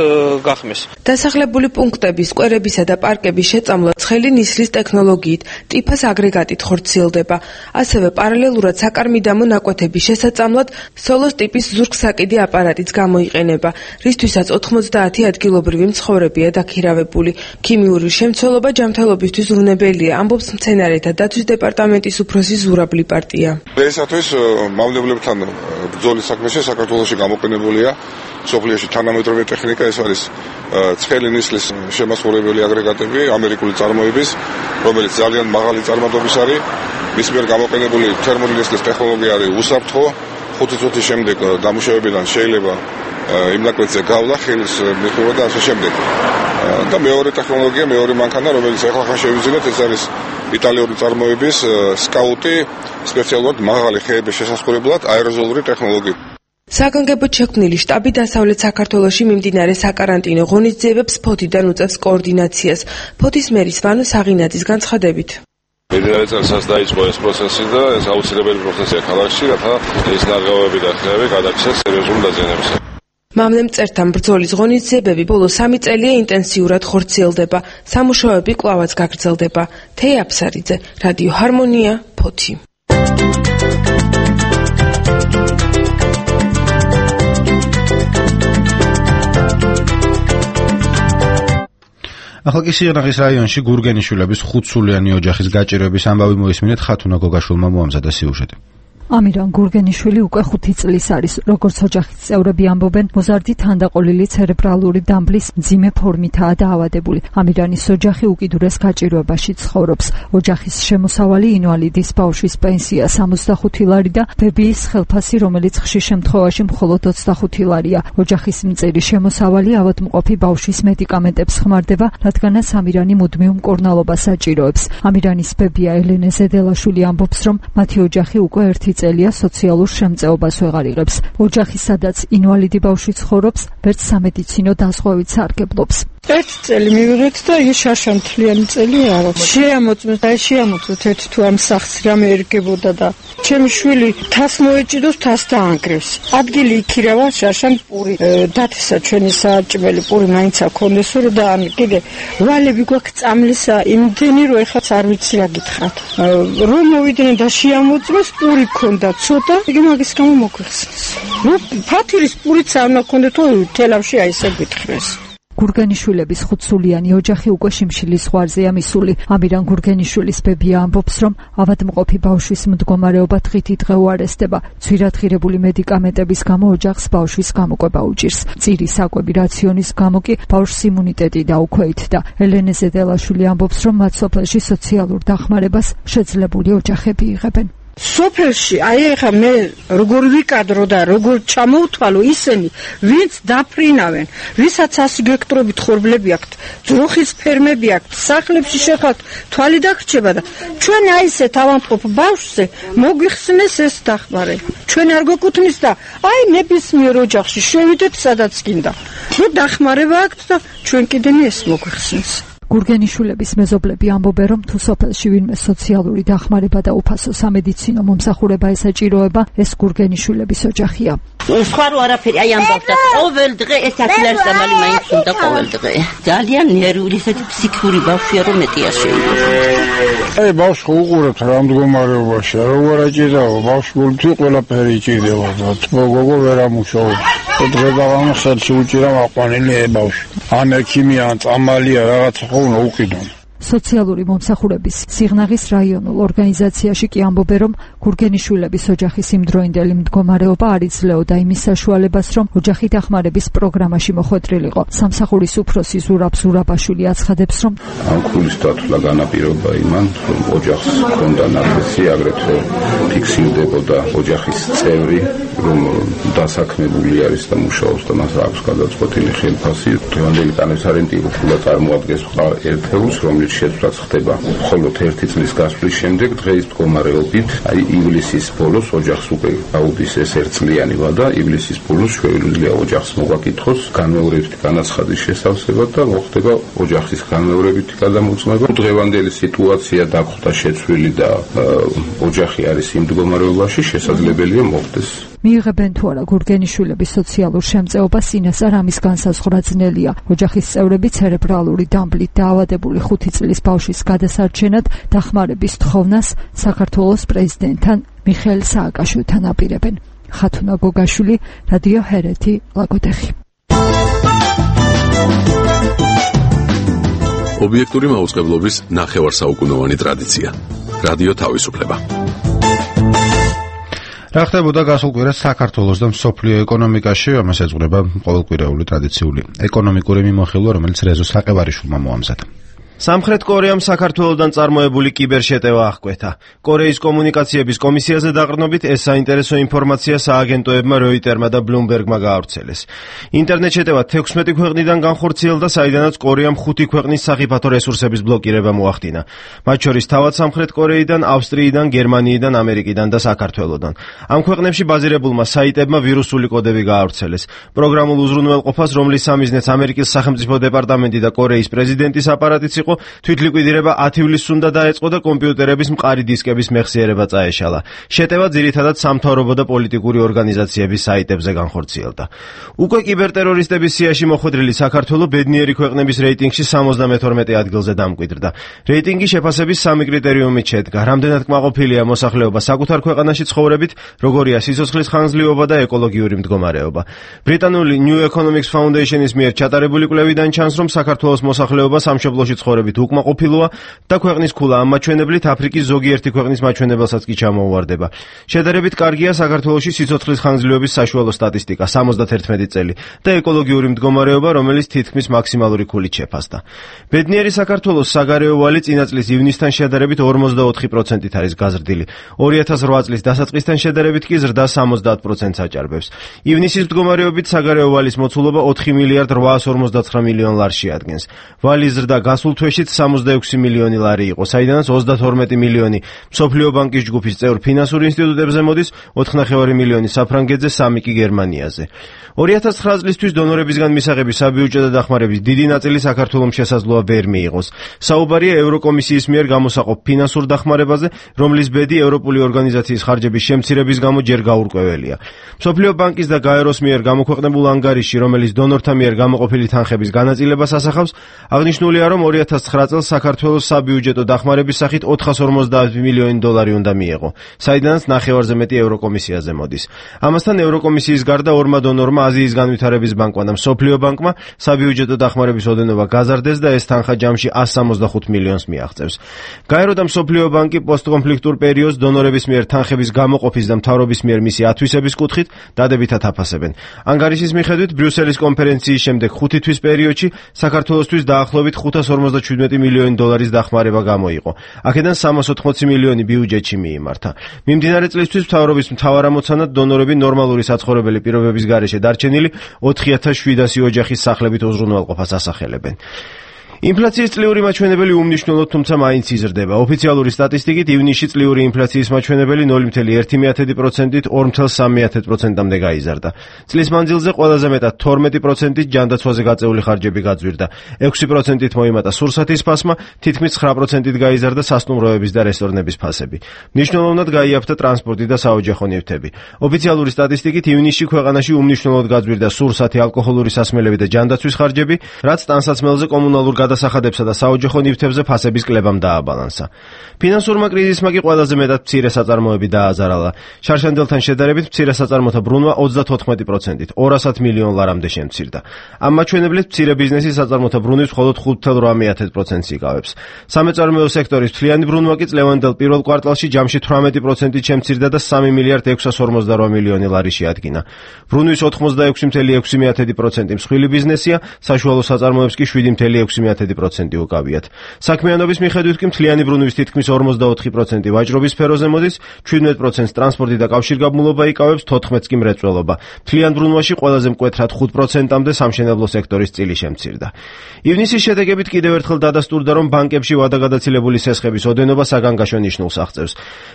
გახმეს. დასახლებული პუნქტების, სკვერებისა და პარკების შეწამლა ცხელი ნისლის ტექნოლოგიით, ტიფას აგრეგატით ხორციელდება. ასევე პარალელურად საკარმიდამო ნაკვეთების შესაწამლად სოლოს ტიპის ზურგსაკიდი აპარატიც გამოიყენება, რისთვისაც ოთხმოცდაათი ადგილობრივი მცხოვრებია დაქირავებული. ქიმიური შემცველობა ჯანმრთელობისთვის ზრუნებელია, ამბობს მცენარეთა დაცვის დეპარტამენტის უფროსი ზურაბ ლიპარტია. დღეისათვის მავნებლებთან ბრძოლის საქმეში საქართველოში გამოყენებულია სოფლიოში თანამედროვე ტექნიკა, ეს არის ცხელი ნისლის შემასწორებელი აგრეგატები ამერიკული წარმოების, რომელიც ძალიან მაღალი წარმატების არის. მის მიერ გამოყენებული თერმული ნისლის ტექნოლოგია არის უსაფრთხო, ხუთი წუთის შემდეგ დამუშავებიდან შეიძლება იმ ნაკვეთზე გავლა ხელის მიღება და ასე შემდეგ. და მეორე ტექნოლოგია, მეორე მანქანა, რომელიც ახლა ხან შევიძინეთ, ეს არის იტალიური წარმოების სკაუტი, სპეციალურად მაღალი ხეების შესასწორებლად აეროზოლური ტექნოლოგია. საგანგებოდ შექმნილი შტაბი დასავლეთ საქართველოში მიმდინარე საკარანტინო ღონისძიებებს ფოთიდან უწევს კოორდინაციას. ფოთის მერის ვანო საღინაძის განცხადებით. მიმდინარე წელსაც დაიწყო ეს პროცესი და ეს აუცილებელი პროცესია ქალაქში, რათა ეს ნარგავები და ხეები გადაიქცეს სერიოზული დაზიანებისა. მავნემწერთან ბრძოლის ღონისძიებები ბოლო სამი წელია ინტენსიურად ხორციელდება. სამუშაოები კვლავაც გაგრძელდება. თეა აფსარიძე, რადიო ჰარმონია, ფოთი. ახლა კი სიღნაღის რაიონში გურგენიშვილების ხუთსულიანი ოჯახის გაჭირვების ამბავი მოისმინეთ ხათუნა გოგაშვილმა მოამზადა სიუჟეტი. ამირან გურგენიშვილი უკვე ხუთი წლის არის. როგორც ოჯახის წევრები ამბობენ, მოზარდი თანდაყოლილი ცერებრალური დამბლის მძიმე ფორმითაა დაავადებული. ამირანის ოჯახი უკიდურეს გაჭირვებაში ცხოვრობს. ოჯახის შემოსავალი ინვალიდის ბავშვის პენსია სამოცდახუთი ლარი და ბებიის ხელფასი, რომელიც ხშირ შემთხვევაში მხოლოდ ოცდახუთი ლარია. ოჯახის მწირი შემოსავალი ავადმყოფი ბავშვის მედიკამენტებს ხმარდება, რადგანაც ამირანი მუდმივ მკურნალობას საჭიროებს. ამირანის ბებია ელენე ზედელაშვილი ამბობს, რომ მათი ოჯახი უკვე ერთი წელია სოციალურ შემწეობას ვეღარ იღებს. ოჯახი, სადაც ინვალიდი ბავშვი ცხოვრობს, ვერც სამედიცინო დაზღვევით სარგებლობს. ერთ წელი მივიღეთ და იგი შაშამთლიანი წელი არა. შეამოწმეთ, აი შეამოწმეთ ერთ თუ ამ სახს რამე ერგებოდა და ჩემი შვილი თას მოეჭიდოს, თას დაანგრევს. ადგილი იქირავა შაშამ პური დათესა ჩვენი საჭმელი პური მაინც აქონდესო და ამ კიდე ვალები გვაქვს წამლისა იმდენი რომ ეხაც არ ვიცი რა გითხრათ. რომ მოვიდნენ და შეამოწმეს პური ქონდა ცოტა, იგი მაგის გამო მოგვიხსნეს. ნუ ფათირის პურიც არ მაქონდა თუ თელავში აი ესე გითხრეს. გურგენიშვილების ხუთსულიანი ოჯახი უკვე შიმშილის ზღვარზეა მისული. ამირან გურგენიშვილის ბებია ამბობს, რომ ავადმყოფი ბავშვის მდგომარეობა დღით დღე უარესდება. ძვირადღირებული მედიკამენტების გამო ოჯახს ბავშვის გამოკვება უჭირს. წირი საკვები რაციონის გამო კი ბავშვს იმუნიტეტი დაუქვეითდა. ელენე ზედელაშვილი ამბობს, რომ მათ სოფელში სოციალურ დახმარებას შეძლებული ოჯახები იღებენ. სოფელში აი ეხა მე როგორ ვიკადრო და როგორ ჩამოვთვალო ისინი ვინც დაფრინავენ, ვისაც ასი გექტრობით ხორბლები აქვთ, ძროხის ფერმები აქვთ, სახლებში შეხავთ, თვალი დაგრჩება და ჩვენ აი ესეთ ავადმყოფ ბავშვზე მოგვიხსნეს ეს დახმარე. ჩვენ არ გვეკუთვნის და აი ნებისმიერ ოჯახში შევიდეთ სადაც გინდა. ნუ დახმარება აქვთ და ჩვენ კიდენი ეს მოგვიხსნეს. გურგენიშვილების მეზობლები ამბობენ, რომ თუ სოფელში ვინმე სოციალური დახმარება და უფასო სამედიცინო მომსახურება ესაჭიროება, ეს გურგენიშვილების ოჯახია. სხვა რო არაფერი აი ამბობდა, ყოველ დღე ეს აკილარის დამალი მაინც უნდა ყოველ დღე. ძალიან ნერვული, ესეთი ფსიქიკური ბავშვია, რომ მეტია შეიძლება. აი ბავშვი უყურებთ რა მდგომარეობაში, როგორ აჭირდება, ბავშვი გულთი ყველაფერი იჭირდება და გოგო ვერ ამუშავებს. დღე დავამო ხელში უჭირა აყვანილი ბავშვი. ან ექიმია, ან წამალია რაღაცა უნდა უყიდონ. სოციალური მომსახურების სიღნაღის რაიონულ ორგანიზაციაში კი ამბობენ, რომ გურგენიშვილების ოჯახის იმდროინდელი მდგომარეობა არ იძლეოდა იმის საშუალებას, რომ ოჯახი დახმარების პროგრამაში მოხვედრილიყო. სამსახურის უფროსი ზურაბ ზურაბაშვილი აცხადებს, რომ ამ ქულის დათვლა განაპირობა იმან, რომ ოჯახს ჰქონდა ნათესი, აგრეთვე ფიქსირდებოდა ოჯახის წევრი, რომ დასაქმებული არის და მუშაობს და მას აქვს გადაწყვეტილი ხელფასი. დღევანდელი კანესარენტი უფლა წარმოადგენს ერთეულს, რომელიც შეცვლაც ხდება მხოლოდ ერთი წლის გასვლის შემდეგ. დღეის მდგომარეობით აი ივლისის ბოლოს ოჯახს უკვე აუდის ეს ერთწლიანი ვადა. ივლისის ბოლოს შეუძლია ოჯახს მოგაკითხოს განმეორებითი განაცხადის შესავსებად და მოხდება ოჯახის განმეორებითი გადამოწმება. დღევანდელი სიტუაცია დაგვხვდა შეცვლილი და ოჯახი არის იმ მდგომარეობაში, შესაძლებელია მოხდეს. მიიღებენ თუ არა გურგენიშვილების სოციალურ შემწეობას, ინესა რამის განსაზღვრა ძნელია. ოჯახის წევრები ცერებრალური დამბლით დაავადებული ხუთი წლის ბავშვის გადასარჩენად დახმარების თხოვნას საქართველოს პრეზიდენტთან მიხეილ სააკაშვილთან აპირებენ. ხათუნა გოგაშვილი, რადიო ჰერეთი, ლაგოდეხი. ობიექტური მაუწყებლობის ნახევარსაუკუნოვანი ტრადიცია. რადიო თავისუფლება. რა ხდებოდა გასულ კვირას საქართველოს და მსოფლიო ეკონომიკაში, ამას ეძღვრება ყოველკვირეული ტრადიციული ეკონომიკური მიმოხილვა, რომელიც რეზო საყევარიშვილმა მოამზადა. სამხრეთ კორეამ საქართველოსდან წარმოებული კიბერშეტევა აღკვეთა. კორეის კომუნიკაციების კომისიაზე დაყრდნობით ეს საინტერესო ინფორმაცია სააგენტოებმა როიტერმა და ბლუმბერგმა გაავრცელეს. ინტერნეტ შეტევა თექვსმეტი ქვეყნიდან განხორციელდა, საიდანაც კორეამ ხუთი ქვეყნის სახიფათო რესურსების ბლოკირება მოახდინა. მათ შორის თავად სამხრეთ კორეიდან, ავსტრიიდან, გერმანიიდან, ამერიკიდან და საქართველოსდან. ამ ქვეყნებში ბაზირებულმა საიტებმა ვირუსული კოდები გაავრცელეს. პროგრამულ უზრუნველყოფას, რომლის სამიზნეც ამერიკის სახელმწიფო დეპარტამენტი და კორეის პრეზიდენტის აპარატიც იყო, თვითლიკვიდირება ათი ივლისს უნდა დაეწყო და კომპიუტერების მყარი დისკების მეხსიერება წაეშალა. შეტევა ძირითადად სამთავრობო და პოლიტიკური ორგანიზაციების საიტებზე განხორციელდა. უკვე კიბერტერორისტების სიაში მოხვედრილი საქართველო ბედნიერი ქვეყნების რეიტინგში სამოცდამეთორმეტე ადგილზე დამკვიდრდა. რეიტინგი შეფასების სამი კრიტერიუმით შედგა: რამდენად კმაყოფილია მოსახლეობა საკუთარ ქვეყანაში ცხოვრებით, როგორია სიცოცხლის ხანგრძლივობა და ეკოლოგიური მდგომარეობა. ბრიტანული New Economics Foundation-ის მიერ ჩატარებული კვლევიდან ჩანს, რომ საქართველოს მოსახლეობა სამშობლოში ცხოვრებით უკმაყოფილოა და ქვეყნის ქულა ამ მაჩვენებლით აფრიკის ზოგიერთი ქვეყნის მაჩვენებელსაც კი ჩამოუვარდება. შედარებით კარგია საქართველოში სიცოცხლის ხანგრძლივობის საშუალო სტატისტიკა სამოცდაათი წელი და ეკოლოგიური მდგომარეობა, რომელიც თითქმის მაქსიმალური ქულით შეფასდა. ბედნიერი საქართველოს საგარეო ვალი წინა წლის ივნისთან შედარებით ორმოცდაოთხი პროცენტით არის გაზრდილი. ორი ათას რვა წლის დასაწყისთან შედარებით კი ზრდა სამოცდაათ პროცენტს აჭარბებს. ივნისის მდგომარეობით საგარეო ვალის მოცულობა ოთხი მილიარდ რვაასორმოცდაცხრა მილიონ ლარს შეადგენს. ვალის ზრდა გასულ თვეშიც სამოცდაექვსი მილიონი ლარი იყო, საიდანაც ოცდათორმეტი მილიონი მსოფლიო ბანკის ჯგუფის წევრ ფინანსურ ინსტიტუტებზე მოდის, ოთხნახევარი მილიონი საფრანგეთზე, სამი კი გერმანიაზე. ორი ათას ცხრა წლისთვის დონორებისგან მისაღები საბიუჯეტო დახმარების დიდი ნაწილი საქართველოს შესაძლოა ვერ მიიღოს. საუბარია ევროკომისიის მიერ გამოსაყოფ ფინანსურ დახმარებაზე, რომლის ბედი ევროპული ორგანიზაციის ხარჯების შემცირების გამო ჯერ გაურკვეველია. მსოფლიო ბანკის და გაეროს მიერ გამოქვეყნებულ ანგარიშში, რომელიც დონორთა მიერ გამოყოფილი თანხების განაწილებას ასახავს, აღნიშნულია, რომ ორი ათას ცხრა წელს საქართველოს საბიუჯეტო დახმარების სახით ოთხას ორმოცდაათი მილიონი დოლარი უნდა მიეღო, საიდანაც ნახევარზე მეტი ევროკომისიაზე მოდის. ამასთან ევროკომისიის გარდა ორმა დონორმა, აზიის განვითარების ბანკმა და მსოფლიო ბანკმა საბიუჯეტო დახმარების ოდენობა გაზარდეს და ეს თანხა ჯამში εκατს სამოცდახუთ მილიონს მიაღწევს. გაერო და მსოფლიო ბანკი პოსტკონფლიქტურ პერიოდს დონორების მიერ თანხების გამოყოფის და მთავრობის მიერ მისი ათვისების კუთხით დადებითად აფასებენ. ანგარიშის მიხედვით ბრიუსელის კონფერენციის შემდეგ ხუთი თვის პერიოდში საქართველოსთვის დაახლოებით ხუთას ორმოცდაჩვიდმეტი მილიონი დოლარის დახმარება გამოიყო. აქედან სამას ოთხმოცი მილიონი ბიუჯეტში მიიმართა. მიმდინარე წლისთვის მთავრობის მთავარამოცანად დონორები ნორმალური საცხოვრებელი პირობების გარეშე დარჩენილი ოთხი ათას შვიდასი ოჯახის სახლებით უზრუნველყოფას ასახელებენ. ინფლაციის წლიური მაჩვენებელი უმნიშვნელოდ, თუმცა მაინც იზრდება. ოფიციალური სტატისტიკით ივნისში წლიური ინფლაციის მაჩვენებელი ნული ფუძე ერთი პროცენტით ორ ფუძე სამი პროცენტამდე გაიზარდა. წლის მანძილზე ყველაზე მეტად თორმეტი პროცენტით ჯანდაცვაზე გაწეული ხარჯები გაძვირდა. ექვსი პროცენტით მოიმატა სურსათის ფასმა, თითქმის ცხრა პროცენტით გაიზარდა სასტუმროების და რესტორნების ფასები. მნიშვნელოვნად გაიაფთა ტრანსპორტი და საოჯახო ნივთები. ოფიციალური სტატისტიკით ივნისში ქვეყანაში უმნიშვნელოდ გაძვირდა სურსათი, ალკოჰოლური სასმელები და ჯანდაცვის ხარჯები, რაც ტანსაცმელზე, კომუნალურ გადასახადებსა და საოჯახო ნივთებზე ფასების კლებამ დააბალანსა. ფინანსურმა კრიზისმა კი ყველაზე მეტად მცირე საწარმოები დააზარალა. შარშანდელთან შედარებით მცირე საწარმოთა ბრუნვა ოცდათოთხმეტი პროცენტით ორასად მილიონ ლარამდე შემცირდა. ამ მაჩვენებლით მცირე ბიზნესის საწარმოთა ბრუნვის მხოლოდ ხუთ ფუძე ორმეტ პროცენტს იკავებს. სამეწარმეო სექტორის მთლიანი ბრუნვა კი წლევანდელ პირველ კვარტალში ჯამში თვრამეტი პროცენტით შემცირდა და სამი მილიარდ ექვსას ორმოცდარვა მილიონი ლარი შეადგინა. ბრუნვის ოთხმოცდაექვსი ფუძე ექვსი პროცენტი მსხვილი ბიზნესია, საშუალო საწარმოებს კი შვიდი ფუძე ექვსი პროცენტი უკავიათ. საქმიანობის მიხედვით კი მთლიანი ბრუნვის თითქმის ორმოცდაოთხი პროცენტი ვაჭრობის სფეროზე მოდის, შვიდმეტ პროცენტს ტრანსპორტი და კავშირგაბმულობა იკავებს, თოთხმეტს კი მრეწველობა. მთლიან ბრუნვაში ყველაზე მკვეთრად ხუთ პროცენტამდე სამშენებლო სექტორის წილი შემცირდა. ივნისის შედეგებით კიდევ ერთხელ დადასტურდა, რომ ბანკებში ვადაგადაცილებული სესხების ოდენობა საგანგაშო ნიშნულს აღწევს.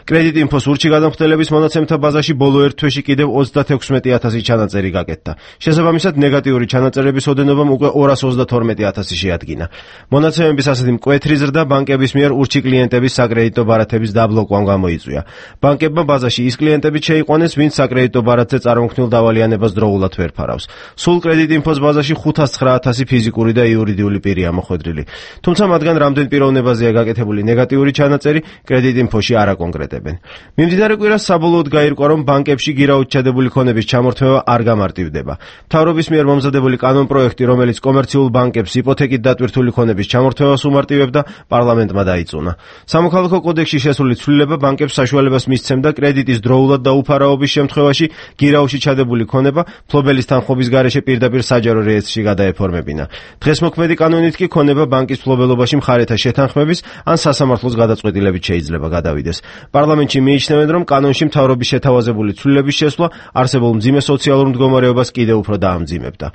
კრედიტ ინფოს ურჩი გადამხდელების მონაცემთა ბაზაში ბოლო ერთ თვეში კიდევ ოცდათექვსმეტი ათასი ჩანაწერი გაკეთდა. შესაბამისად, ნეგატიური ჩანაწერების ოდენობამ უკვე ორას ოცდათორმეტი ათასი შეადგინა. მონაცემების ასეთი მკვეთრი ზრდა ბანკების მიერ ურჩი კლიენტების საკრედიტო ბარათების დაბლოკვამ გამოიწვია. ბანკებმა ბაზაში ის კლიენტები შეიყვანეს, ვინც საკრედიტო ბარათზე წარმოქმნილ დავალიანებას დროულად ვერ ფარავს. სულ კრედიტ ინფოს ბაზაში ხუთას ცხრა ათასი ფიზიკური და იურიდიული პირია მოხვედრილი. თუმცა მათგან რამდენ პიროვნებაზეა გაკეთებული ნეგატიური ჩანაწერი, კრედიტ ინფოში არ აკონკრეტებენ. მიმდინარე კვირას საბოლოოდ გაირკვა, რომ ბანკებში გირაოდ ჩადებული ქონების ჩამორთმევა არ გამარტივდება. მთავრობის მიერ მომზადებული კანონპროექტი, რომელიც კომერციულ ბანკებს იპოთეკით დატვირთული ქონების ჩამორთმევას უმარტივებდა, პარლამენტმა დაიწუნა. სამოქალაქო კოდექსში შესული ცვლილება ბანკებს საშუალებას მისცემდა კრედიტის დროულად დაუფარავობის შემთხვევაში გირაოში ჩადებული ქონება ფლობელის თანხმობის გარეშე პირდაპირ საჯარო რეესტრში გადაეფორმებინა. დღეს მოქმედი კანონით კი ქონება ბანკის ფლობელობაში მხარეთა შეთანხმების ან სასამართლოს გადაწყვეტილებით შეიძლება გადავიდეს. პარლამენტში მიიჩნევენ, რომ კანონში მთავრობის შეთავაზებული ცვლილების შესვლა არსებულ მძიმე სოციალურ მდგომარეობას კიდევ უფრო დაამძიმებდა.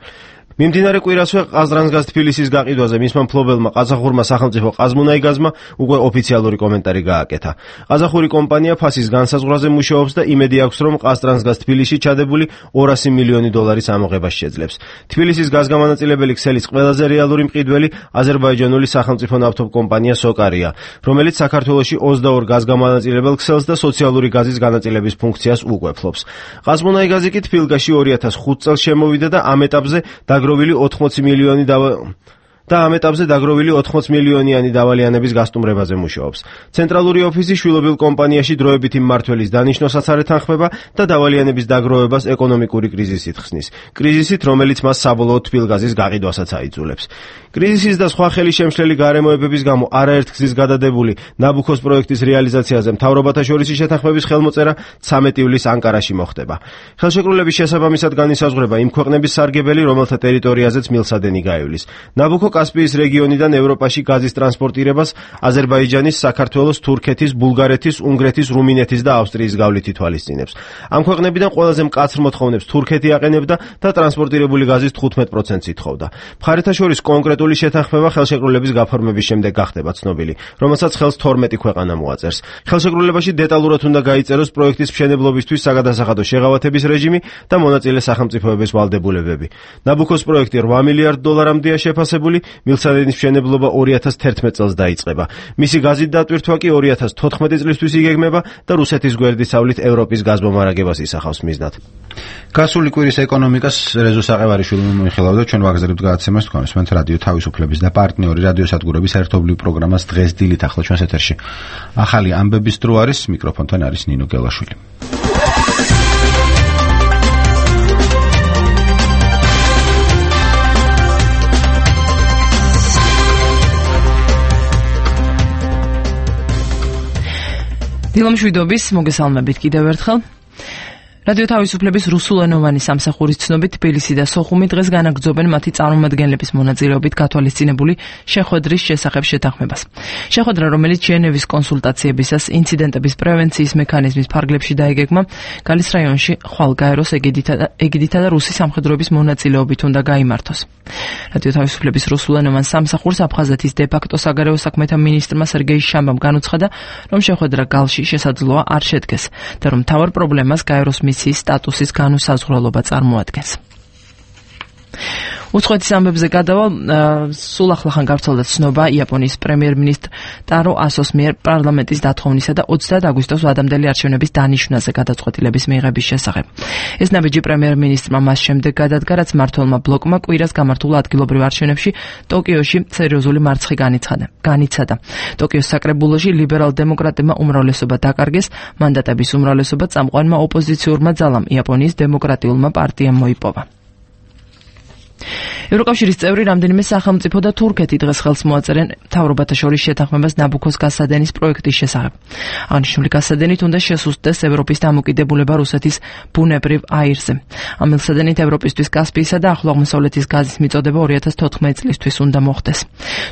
მიმდინარე კვირასვე ყაზრანგაზ თბილისის გაყიდვაზე მისმა მფლობელმა ყაზახურმა სახელმწიფო ყაზმუნაიგაზმა უკვე ოფიციალური კომენტარი გააკეთა. ყაზახური კომპანია ფასის განსაზღვრაზე მუშაობს და იმედი აქვს, რომ ყაზრანგაზ თბილისში ჩადებული ორასი მილიონი დოლარის ამოღებას შეძლებს. თბილისის გაზგამანაწილებელი ქსელის ყველაზე რეალური მყიდველი აზერბაიჯანული სახელმწიფო ნავთობ კომპანია სოკარია, რომელიც საქართველოში ოცდაორ გაზგამანაწილებელ ქსელს და სოციალური გაზის განაწილების ფუნქციას უკვე ფლობს. ყაზმუნაიგაზი კი თბილისში ორი ათას ხუთ წელს შემოვიდა და ამ ეტაპზე დაგროვილი ოთხმოცი მილიონი დავა და ამ ეტაპზე დაგროვილი ოთხმოცი მილიონიანი დავალიანების გასტუმრებაზე მუშაობს. ცენტრალური ოფისი შვილობილ კომპანიაში დროებითი მმართველის დანიშნოსაც არ ეთანხმება და დავალიანების დაგროვებას ეკონომიკური კრიზისით ხსნის. კრიზისით, რომელიც მას საბოლოოდ თბილგაზის გაყიდვასაც აიძულებს. კრიზისის და სხვა ხელისშემშლელი გარემოებების გამო არაერთ გზის გადადებული ნაბუქოს პროექტის რეალიზაციაზე მთავრობათა შორისი შეთანხმების ხელმოწერა ცამეტი ივლისს ანკარაში მოხდება. ხელშეკრულების შესაბამისად განისაზღვრება იმ ქვეყნების სარგებელი, რომელთა ტერიტორიაზეც მილსადენი გაივლის. ნაბუქო კასპიის რეგიონიდან ევროპაში გაზის ტრანსპორტირებას აზერბაიჯანის, საქართველოს, თურქეთის, ბულგარეთის, უნგრეთის, რუმინეთის და ავსტრიის გავლით ითვალისწინებს. ამ ქვეყნებიდან ყველაზე მკაცრ მოთხოვნებს თურქეთი აყენებდა და ტრანსპორტირებული გაზის თხუთმეტ პროცენტს ითხოვდა. მხარეთა შორის კონკრეტული შეთანხმება ხელშეკრულების გაფორმების შემდეგ გახდება ცნობილი, რომელსაც ხელს თორმეტი ქვეყანა მოაწერს. ხელშეკრულებაში დეტალურად უნდა გაიწეროს პროექტის მშენებლობისთვის საგადასახადო შეღავათების რეჟიმი და მონაწილე სახელმწიფოების ვალდებულებები. ნაბუქოს პროექტი რვა მილიარდ დოლარამდეა შეფასებული, მილსადენის მშენებლობა ორი ათას თერთმეტ წელს დაიწყება. მისი გაზით დატვირთვა კი ორი ათას თოთხმეტი წლისთვის იგეგმება და რუსეთის გვერდისავლით ევროპის გაზმომარაგებას ისახავს მიზნად. გასული კვირის ეკონომიკას რეზო საყევარიშვილმა მოიხილავდა, ჩვენ ვაგზავნებთ გადაცემას თქვენს მენთ რადიო თავისუფლების და პარტნიორი რადიოსადგურების ერთობლივ პროგრამას დღეს დილით ახლა ჩვენს ეთერში. ახალი ამბების დრო არის, მიკროფონთან არის ნინო გელაშვილი. დილამშვიდობის მოგესალმებით კიდევ ერთხელ. რადიო თავისუფლების რუსულენოვანი სამსახურის ცნობით თბილისი და სოხუმი დღეს განაგრძობენ მათი წარმომადგენლების მონაწილეობით გათვალისწინებული შეხვედრის შესახებ შეთანხმებას. შეხვედრა, რომელიც ჟენევის კონსულტაციებისას ინციდენტების პრევენციის მექანიზმის ფარგლებში დაიგეგმა, გალის რაიონში ხვალგაეროს ეგიდითა და რუსი სამხედროების მონაწილეობით უნდა გაიმართოს. რადიო თავისუფლების რუსულენოვან სამსახურს აფხაზეთის დე-ფაქტო საგარეო საქმეთა მინისტრმა სერგეი შამბამ განუცხადა, რომ შეხვედრა გალში შესაძლოა არ შედგეს და რომ მთავარ პრობლემას გაეროს მისიის სტატუსის განუსაზღვრელობა წარმოადგენს. უცხოეთის ამბებზე გადავალ, სულ ახლახან გავრცელდა ცნობა იაპონიის პრემიერ-მინისტრ ტარო ასოს მიერ პარლამენტის დათხოვნისა და ოცდაათი აგვისტოს ვადამდელი არჩევნების დანიშვნაზე გადაწყვეტილების მიღების შესახებ. ეს ნაბიჯი პრემიერ-მინისტრმა მას შემდეგ გადადგა, რაც მმართველმა ბლოკმა კვირას გამართულ ადგილობრივ არჩევნებში ტოკიოში სერიოზული მარცხი განიცადა. ტოკიოს საკრებულოში ლიბერალ-დემოკრატებმა უმრავლესობა დაკარგეს, მანდატების უმრავლესობა წამყვანმა ოპოზიციურმა ძალამ იაპონიის დემოკრატიულმა პარტიამ მოიპოვა. ევროკავშირის წევრი რამდენიმე სახელმწიფო და თურქეთი დღეს ხელს მოაწერენ მთავრობათა შორის შეთანხმებას ნაბუქოს გასადენის პროექტის შესახებ. აღნიშნული გასადენით უნდა შესუსტდეს ევროპის დამოკიდებულება რუსეთის ბუნებრივ აირზე. ამ მილსადენით ევროპისთვის კასპიისა და ახლო აღმოსავლეთის გაზის მიწოდება ორი ათას თოთხმეტი წლისთვის უნდა მოხდეს.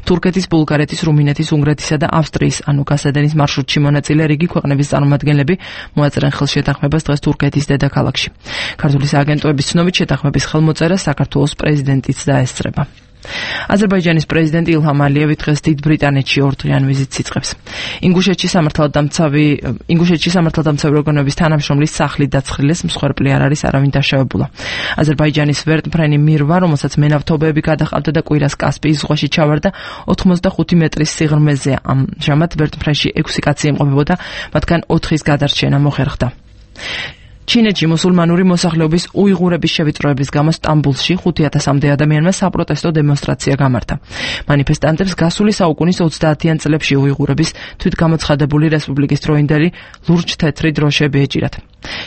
თურქეთის, ბულგარეთის, რუმინეთის, უნგრეთისა და ავსტრიის ანუ გასადენის მარშრუტში მონაწილე რიგი ქვეყნების წარმომადგენლები მოაწერენ ხელს შეთანხმებას დღეს თურქეთის დედაქალაქში. ქართული სააგენტოების ცნობით შეთანხმების ხელმოწერა საქართველოს პრეზიდენტიც დაესწრება. აზერბაიჯანის პრეზიდენტი ილჰამ ალიევი დღეს დიდ ბრიტანეთში ორდღიან ვიზიტს იწყებს. ინგუშეთში სამართალდამცავი ინგუშეთში სამართალდამცავი ორგანოების თანამშრომლის სახლი დაცხრილეს, მსხვერპლი არ არის არავინ დაშავებულა. აზერბაიჯანის ვერტმფრენი მირვა, რომელსაც მენავთობები გადაყავდა და კვირას კასპიის ზღვაში ჩავარდა, ოცდახუთი მეტრის სიღრმეზეა. ამჟამად ვერტმფრენში ექვსი კაცი იმყოფებოდა, მათგან ოთხის გადარჩენა მოხერხდა. ჩინეთში მუსულმანური მოსახლეობის უიღურების შევიწროების გამო სტამბულში ხუთი ათასამდე ადამიანმა საპროტესტო დემონსტრაცია გამართა. მანიფესტანტებს გასული საუკუნის ოცდაათიან წლებში უიღურების თვითგამოცხადებული რესპუბლიკის დროინდელი ლურჯ-თეთრი დროშები ეჭირათ.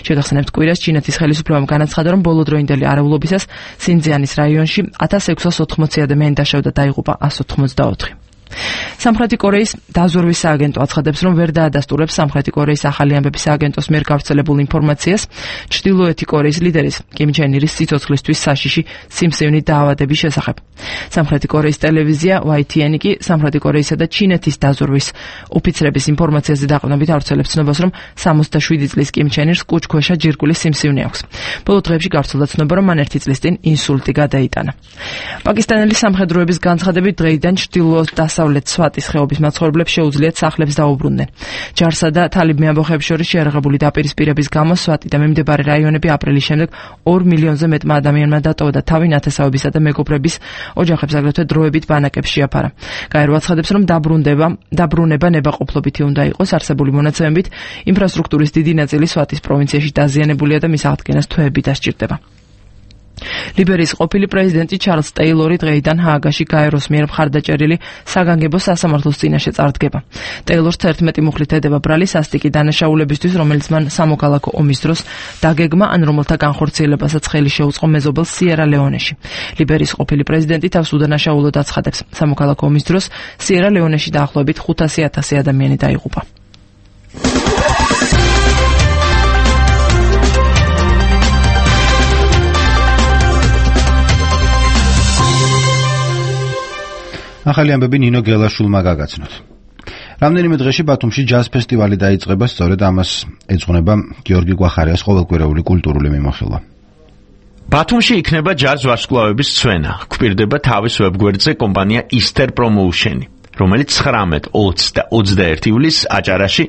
შეგახსენებთ, კვირას ჩინეთის ხელისუფლებამ განაცხადა, რომ ბოლო დროინდელი არაულობისას სინძიანის რაიონში ათას ექვსას ოთხმოცი ადამიანი დაშავდა და დაიღუპა ას ოთხმოცდაოთხი. სამხრეთი კორეის დაზვერვის სააგენტო აცხადებს, რომ ვერ დაადასტურებს სამხრეთი კორეის ახალი ამბების სააგენტოს მიერ გავრცელებულ ინფორმაციას ჩრდილოეთი კორეის ლიდერის კიმ ჩენ ირის სიცოცხლისთვის საშიში სიმსივნით დაავადების შესახებ. სამხრეთი კორეის ტელევიზია ვაი თი ენ კი სამხრეთი კორეისა და ჩინეთის დაზვერვის ოფიცრების ინფორმაციაზე დაყრდნობით ავრცელებს ცნობას, რომ სამოცდაშვიდი წლის კიმ ჩენ ირს კუჭქვეშა ჯირკვლის სიმსივნე აქვს. ბოლო დღეებში გავრცელდა ცნობა, რომ მან ერთი წლის წინ ინსულტი გადაიტანა. პაკისტანელი სამხედროების განცხადებით, დღეიდან ჩრდილოეთ დასავლეთ სვატის ხეობის მაცხოვრებლებს შეუძლიათ სახლებს დაუბრუნდნენ. ჯარსა და თალიბ მეამბოხეებს შორის შეერაღებული დაპირისპირების გამო სვატი და მიმდებარე რაიონები აპრილის შემდეგ ორ მილიონზე მეტმა ადამიანმა დატოვა და თავი ნათესავებისა და მეგობრების ოჯახებს აგრეთვე დროებით ბანაკებს შეაფარა. გაერო აცხადებს, რომ დაბრუნდება დაბრუნება ნებაყოფლობითი უნდა იყოს. არსებული მონაცემებით ინფრასტრუქტურის დიდი ნაწილი სვატის პროვინციაში დაზიანებულია და მის აღდგენას თვეები დასჭირდება. ლიბერიის ყოფილი პრეზიდენტი ჩარლზ ტეილორი დღეიდან ჰააგაში გაეროს მიერ მხარდაჭერილი საგანგებო სასამართლოს წინაშე წარდგება. ტეილორს თერთმეტი მუხლით ედება ბრალი სასტიკი დანაშაულებისთვის, რომელიც მან სამოქალაქო ომის დროს დაგეგმა, ან რომელთა განხორციელებასაც ხელი შეუწყო მეზობელ სიერა ლეონეში. ლიბერიის ყოფილი პრეზიდენტი თავს უდანაშაულოდ აცხადებს, სამოქალაქო ომის დროს სიერა ლეონეში დაახლოებით ხუთასი ათასი ადამიანი დაიღუპა. ახალი ამბები ნინო გელაშვილმა გაგაცნოთ. რამდენიმე დღეში ბათუმში ჯაზ ფესტივალი დაიწყება, სწორედ ამას ეძღვნება გიორგი გვახარიას ყოველკვირეული კულტურული მიმოხილვა. ბათუმში იქნება ჯაზ ვარსკვლავების სვენა. გვპირდება თავის ვებგვერდზე კომპანია Easter Promotion-ი, რომელიც ცხრამეტ, ოცი და ოცდაერთი ივლისს აჭარაში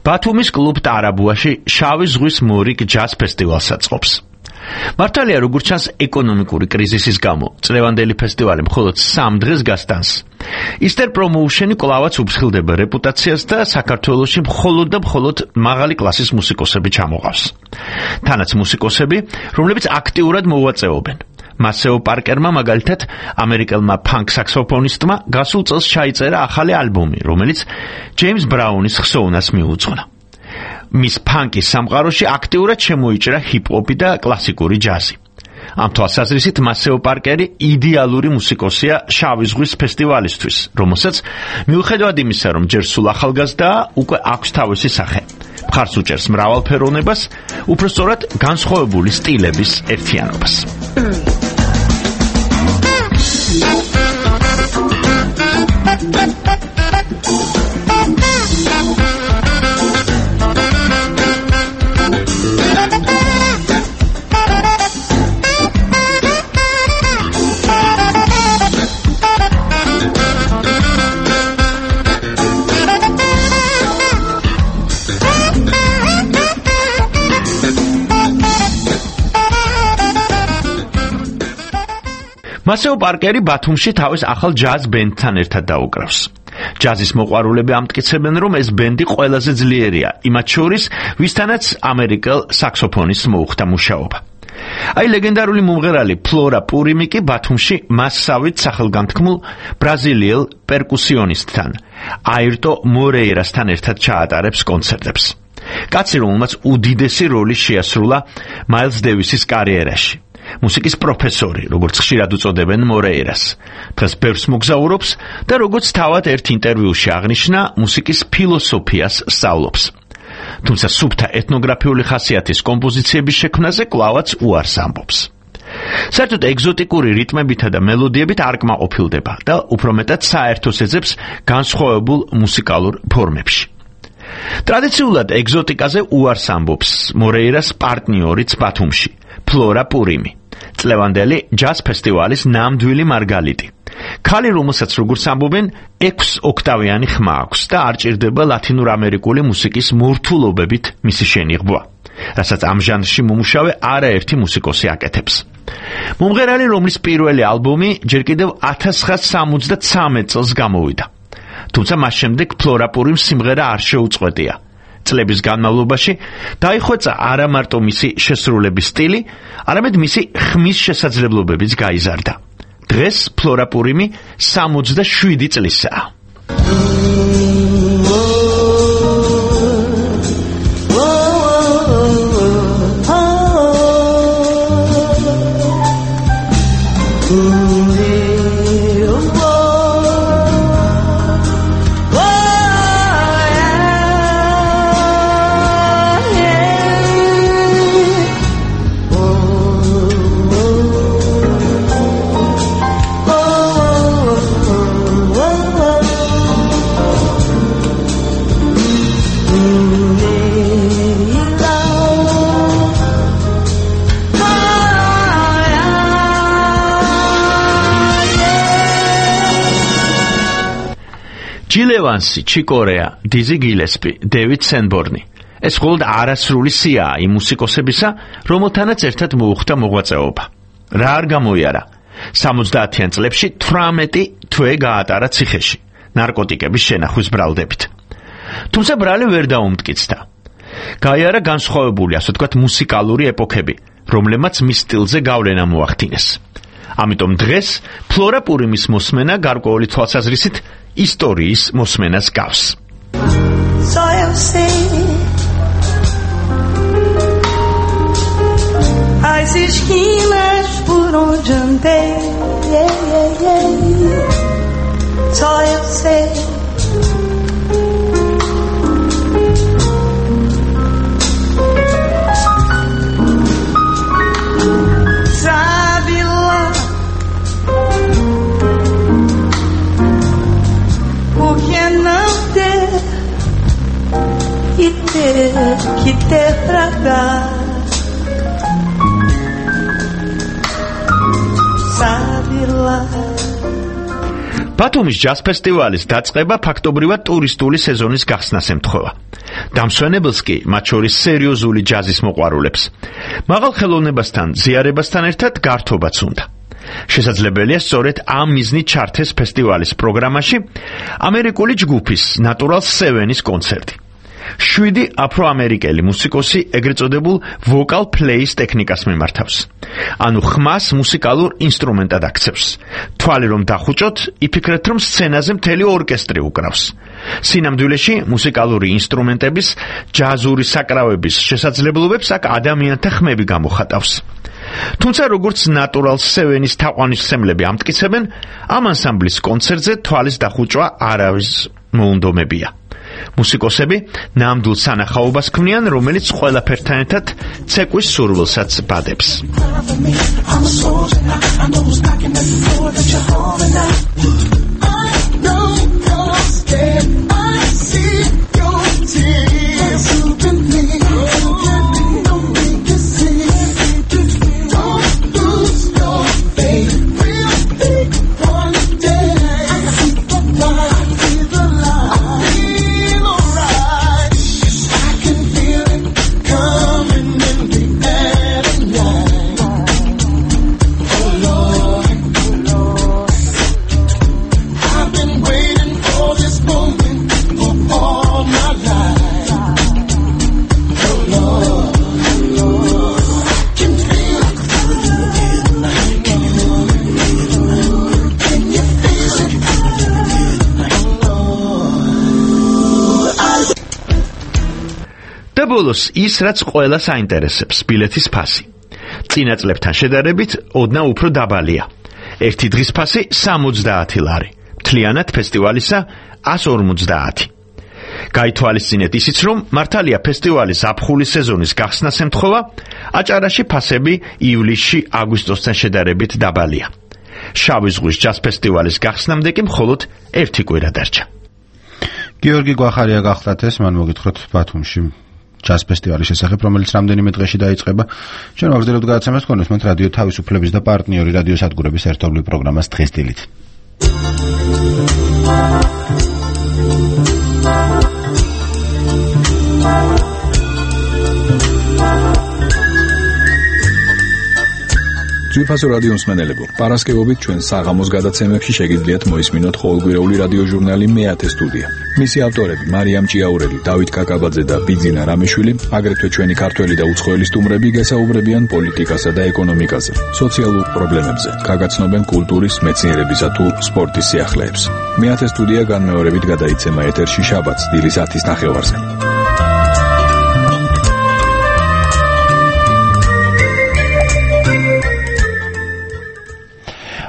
ბათუმის კლუბ ტარაბუაში შავი ზღვის მორიგ ჯაზ ფესტივალს აწყობს. მართალია, როგორც ჩანს, ეკონომიკური კრიზისის გამო წლევანდელი ფესტივალი მხოლოდ სამ დღეს გასტანს. Easter Promotion-ი კვლავაც უფრთხილდება რეპუტაციას და საქართველოში მხოლოდ და მხოლოდ მაღალი კლასის მუსიკოსები ჩამოყავს. თანაც მუსიკოსები, რომლებიც აქტიურად მოვაწეობენ. მასეო პარკერმა მაგალითად ამერიკელმა ფანკ საქსოფონისტმა გასულ წელს ჩაიწერა ახალი ალბომი, რომელიც ჯეიმს ბრაუნის ხსოვნას მიუძღვნა. მის ფანკის სამყაროში აქტიურად შემოიჭრა ჰიპ-ჰოპი და კლასიკური ჯაზი. ამ თვალსაზრისით მასეო პარკერი იდეალური მუსიკოსია შავი ზღვის ფესტივალისთვის, რომელსაც მიუხედავად იმისა, რომ ჯერ სულ ახალგაზრდაა, უკვე აქვს თავისი სახე. მხარს უჭერს მრავალფეროვნებას, უფრო სწორად განსხვავებული სტილების ერთიანობას. მასეო პარკერი ბათუმში თავის ახალ ჯაზ ბენდთან ერთად დაუკრავს. ჯაზის მოყვარულები ამტკიცებენ, რომ ეს ბენდი ყველაზე ძლიერია, იმათ შორის, ვისთანაც ამერიკელ საქსოფონისტს მოუხდა მუშაობა. აი ლეგენდარული მომღერალი ფლორა პურიმი კი ბათუმში მასსავით სახელგანთქმულ ბრაზილიელ პერკუსიონისტთან, აირტო მორეირასთან ერთად ჩაატარებს კონცერტებს. კაცი, რომელმაც უდიდესი როლი შეასრულა მაილს დევისის კარიერაში. მუსიკის პროფესორი, როგორც ხშირად უწოდებენ მორეირას. დღეს ბევრს მოგზაურობს და როგორც თავად ერთ ინტერვიუში აღნიშნა, მუსიკის ფილოსოფიას სწავლობს. თუმცა სუფთა ეთნოგრაფიული ხასიათის კომპოზიციების შექმნაზე კვლავაც უარს ამბობს. საერთოდ ეგზოტიკური რიტმებითა და მელოდიებით არ კმაყოფილდება და უფრო მეტად საერთოს ეძებს განსხვავებულ მუსიკალურ ფორმებში. ტრადიციულად ეგზოტიკაზე უარს ამბობს მორეირას პარტნიორიც ბათუმში, ფლორა პურიმი, წლევანდელი ჯაზ ფესტივალის ნამდვილი მარგალიტი. ქალი, რომელსაც როგორც ამბობენ, ექვს ოქტავიანი ხმა აქვს და არ ჭირდება ლათინურ ამერიკული მუსიკის მორთულობებით მისი შენიღბვა, რასაც ამ ჟანრში მომუშავე არაერთი მუსიკოსი აკეთებს. მომღერალი, რომლის პირველი ალბომი ჯერ კიდევ ათას ცხრაასი სამოცდათვრამეტ წელს გამოვიდა. თუმცა მას შემდეგ ფლორა პურიმ სიმღერა არ შეუწყვეტია. წლების განმავლობაში დაიხვეწა არა მარტო მისი შესრულების სტილი, არამედ მისი ხმის შესაძლებლობებიც გაიზარდა. დღეს ფლორა პურიმი სამოცდაშვიდი წლისაა. ჯილ ევანსი, ჩი კორეა, დიზი გილესპი, დევიდ სენბორნი. ეს მხოლოდ არასრული სიაა იმ მუსიკოსებისა, რომელთანაც ერთად მოუხდა მოღვაწეობა. რა არ გამოიარა? სამოცდაათიან წლებში თვრამეტი თვე გაატარა ციხეში, ნარკოტიკების შენახვის ბრალდებით. თუმცა ბრალი ვერ დაუმტკიცდა. გაიარა განსხვავებული, ასე ვთქვათ, მუსიკალური ეპოქები, რომლებმაც მის სტილზე გავლენა მოახდინეს. ამიტომ დღეს ფლორა პურიმის მოსმენა გარკვეული თვალსაზრისით ისტორიის მოსმენას გავს. So you see, as esquinas por onde andei, yeah, yeah, yeah. Só eu sei. Sabe lá que ter, que ter pra dar. Sabe lá. ბათუმის ჯაზ ფესტივალის დაწყება ფაქტობრივად ტურისტული სეზონის გახსნას ემთხვევა. დამსვენებელს კი, მათ შორის სერიოზული ჯაზის მოყვარულებს, მაღალ ხელოვნებასთან, ზიარებასთან ერთად გართობაც უნდა. შესაძლებელია სწორედ ამ მიზნით ჩართეს ფესტივალის პროგრამაში ამერიკული ჯგუფის Natural Seven-ის კონცერტი. შვიდი აფროამერიკელი მუსიკოსი ეგრეთ წოდებულ vocal play-ის ტექნიკას მიმართავს. ანუ ხმას მუსიკალურ ინსტრუმენტად აქცევს. თვალი რომ დახუჭოთ, იფიქრეთ რომ სცენაზე მთელი ორკესტრი უკრავს. სინამდვილეში მუსიკალური ინსტრუმენტების, ჯაზური საკრავების შესაძლებლობებს აქ ადამიანთა ხმები გამოხატავს. თუმცა როგორც Natural Seven-ის თაყვანისმცემლები ამტკიცებენ, ამ ანსამბლის კონცერტზე თვალის დახუჭვა არავის მოუნდომებია. მუსიკოსები ნამდვილ სანახაობას ქმნიან, რომელიც ყველაფერთან ერთად ცეკვის სურვილსაც ბადებს. ბოლოს ის, რაც ყველას აინტერესებს, ბილეთის ფასი. წინა წლებთან შედარებით ოდნავ უფრო დაბალია. ერთი დღის ფასი სამოცდაათი ლარი, მთლიანად ფესტივალისა ას ორმოცდაათი. გაითვალისწინეთ ისიც, რომ მართალია ფესტივალის ზაფხულის სეზონის გახსნას ემთხვევა, აჭარაში ფასები ივლისში აგვისტოსთან შედარებით დაბალია. შავი ზღვის ჯაზ ფესტივალის გახსნამდე კი მხოლოდ ერთი კვირა დარჩა. გიორგი გვახარია გახლდათ ეს, მან მოგითხროთ ბათუმში ჯაზ ფესტივალის შესახებ, რომელიც რამდენიმე დღეში დაიწყება. ჩვენ ვაგრძელებთ გადაცემას კონსმენთ რადიო თავისუფლების და პარტნიორი რადიოსადგურების ერთობლივ პროგრამას დღეს დილით. ძვირფასო რადიო მსმენელებო, პარასკევობით ჩვენ საღამოს გადაცემებში შეგიძლიათ მოისმინოთ ყოველკვირეული რადიო ჟურნალი მეათე სტუდია. მისი ავტორები მარიამ ჭიაურელი, დავით კაკაბაძე და ბიძინა რამიშვილი, აგრეთვე ჩვენი ქართველი და უცხოელი სტუმრები გესაუბრებიან პოლიტიკასა და ეკონომიკაზე, სოციალურ პრობლემებზე, გაგაცნობენ კულტურის, მეცნიერებისა თუ სპორტის სიახლეებს. მეათე სტუდია განმეორებით გადაიცემა ეთერში შაბათს დილის ათის ნახევარზე.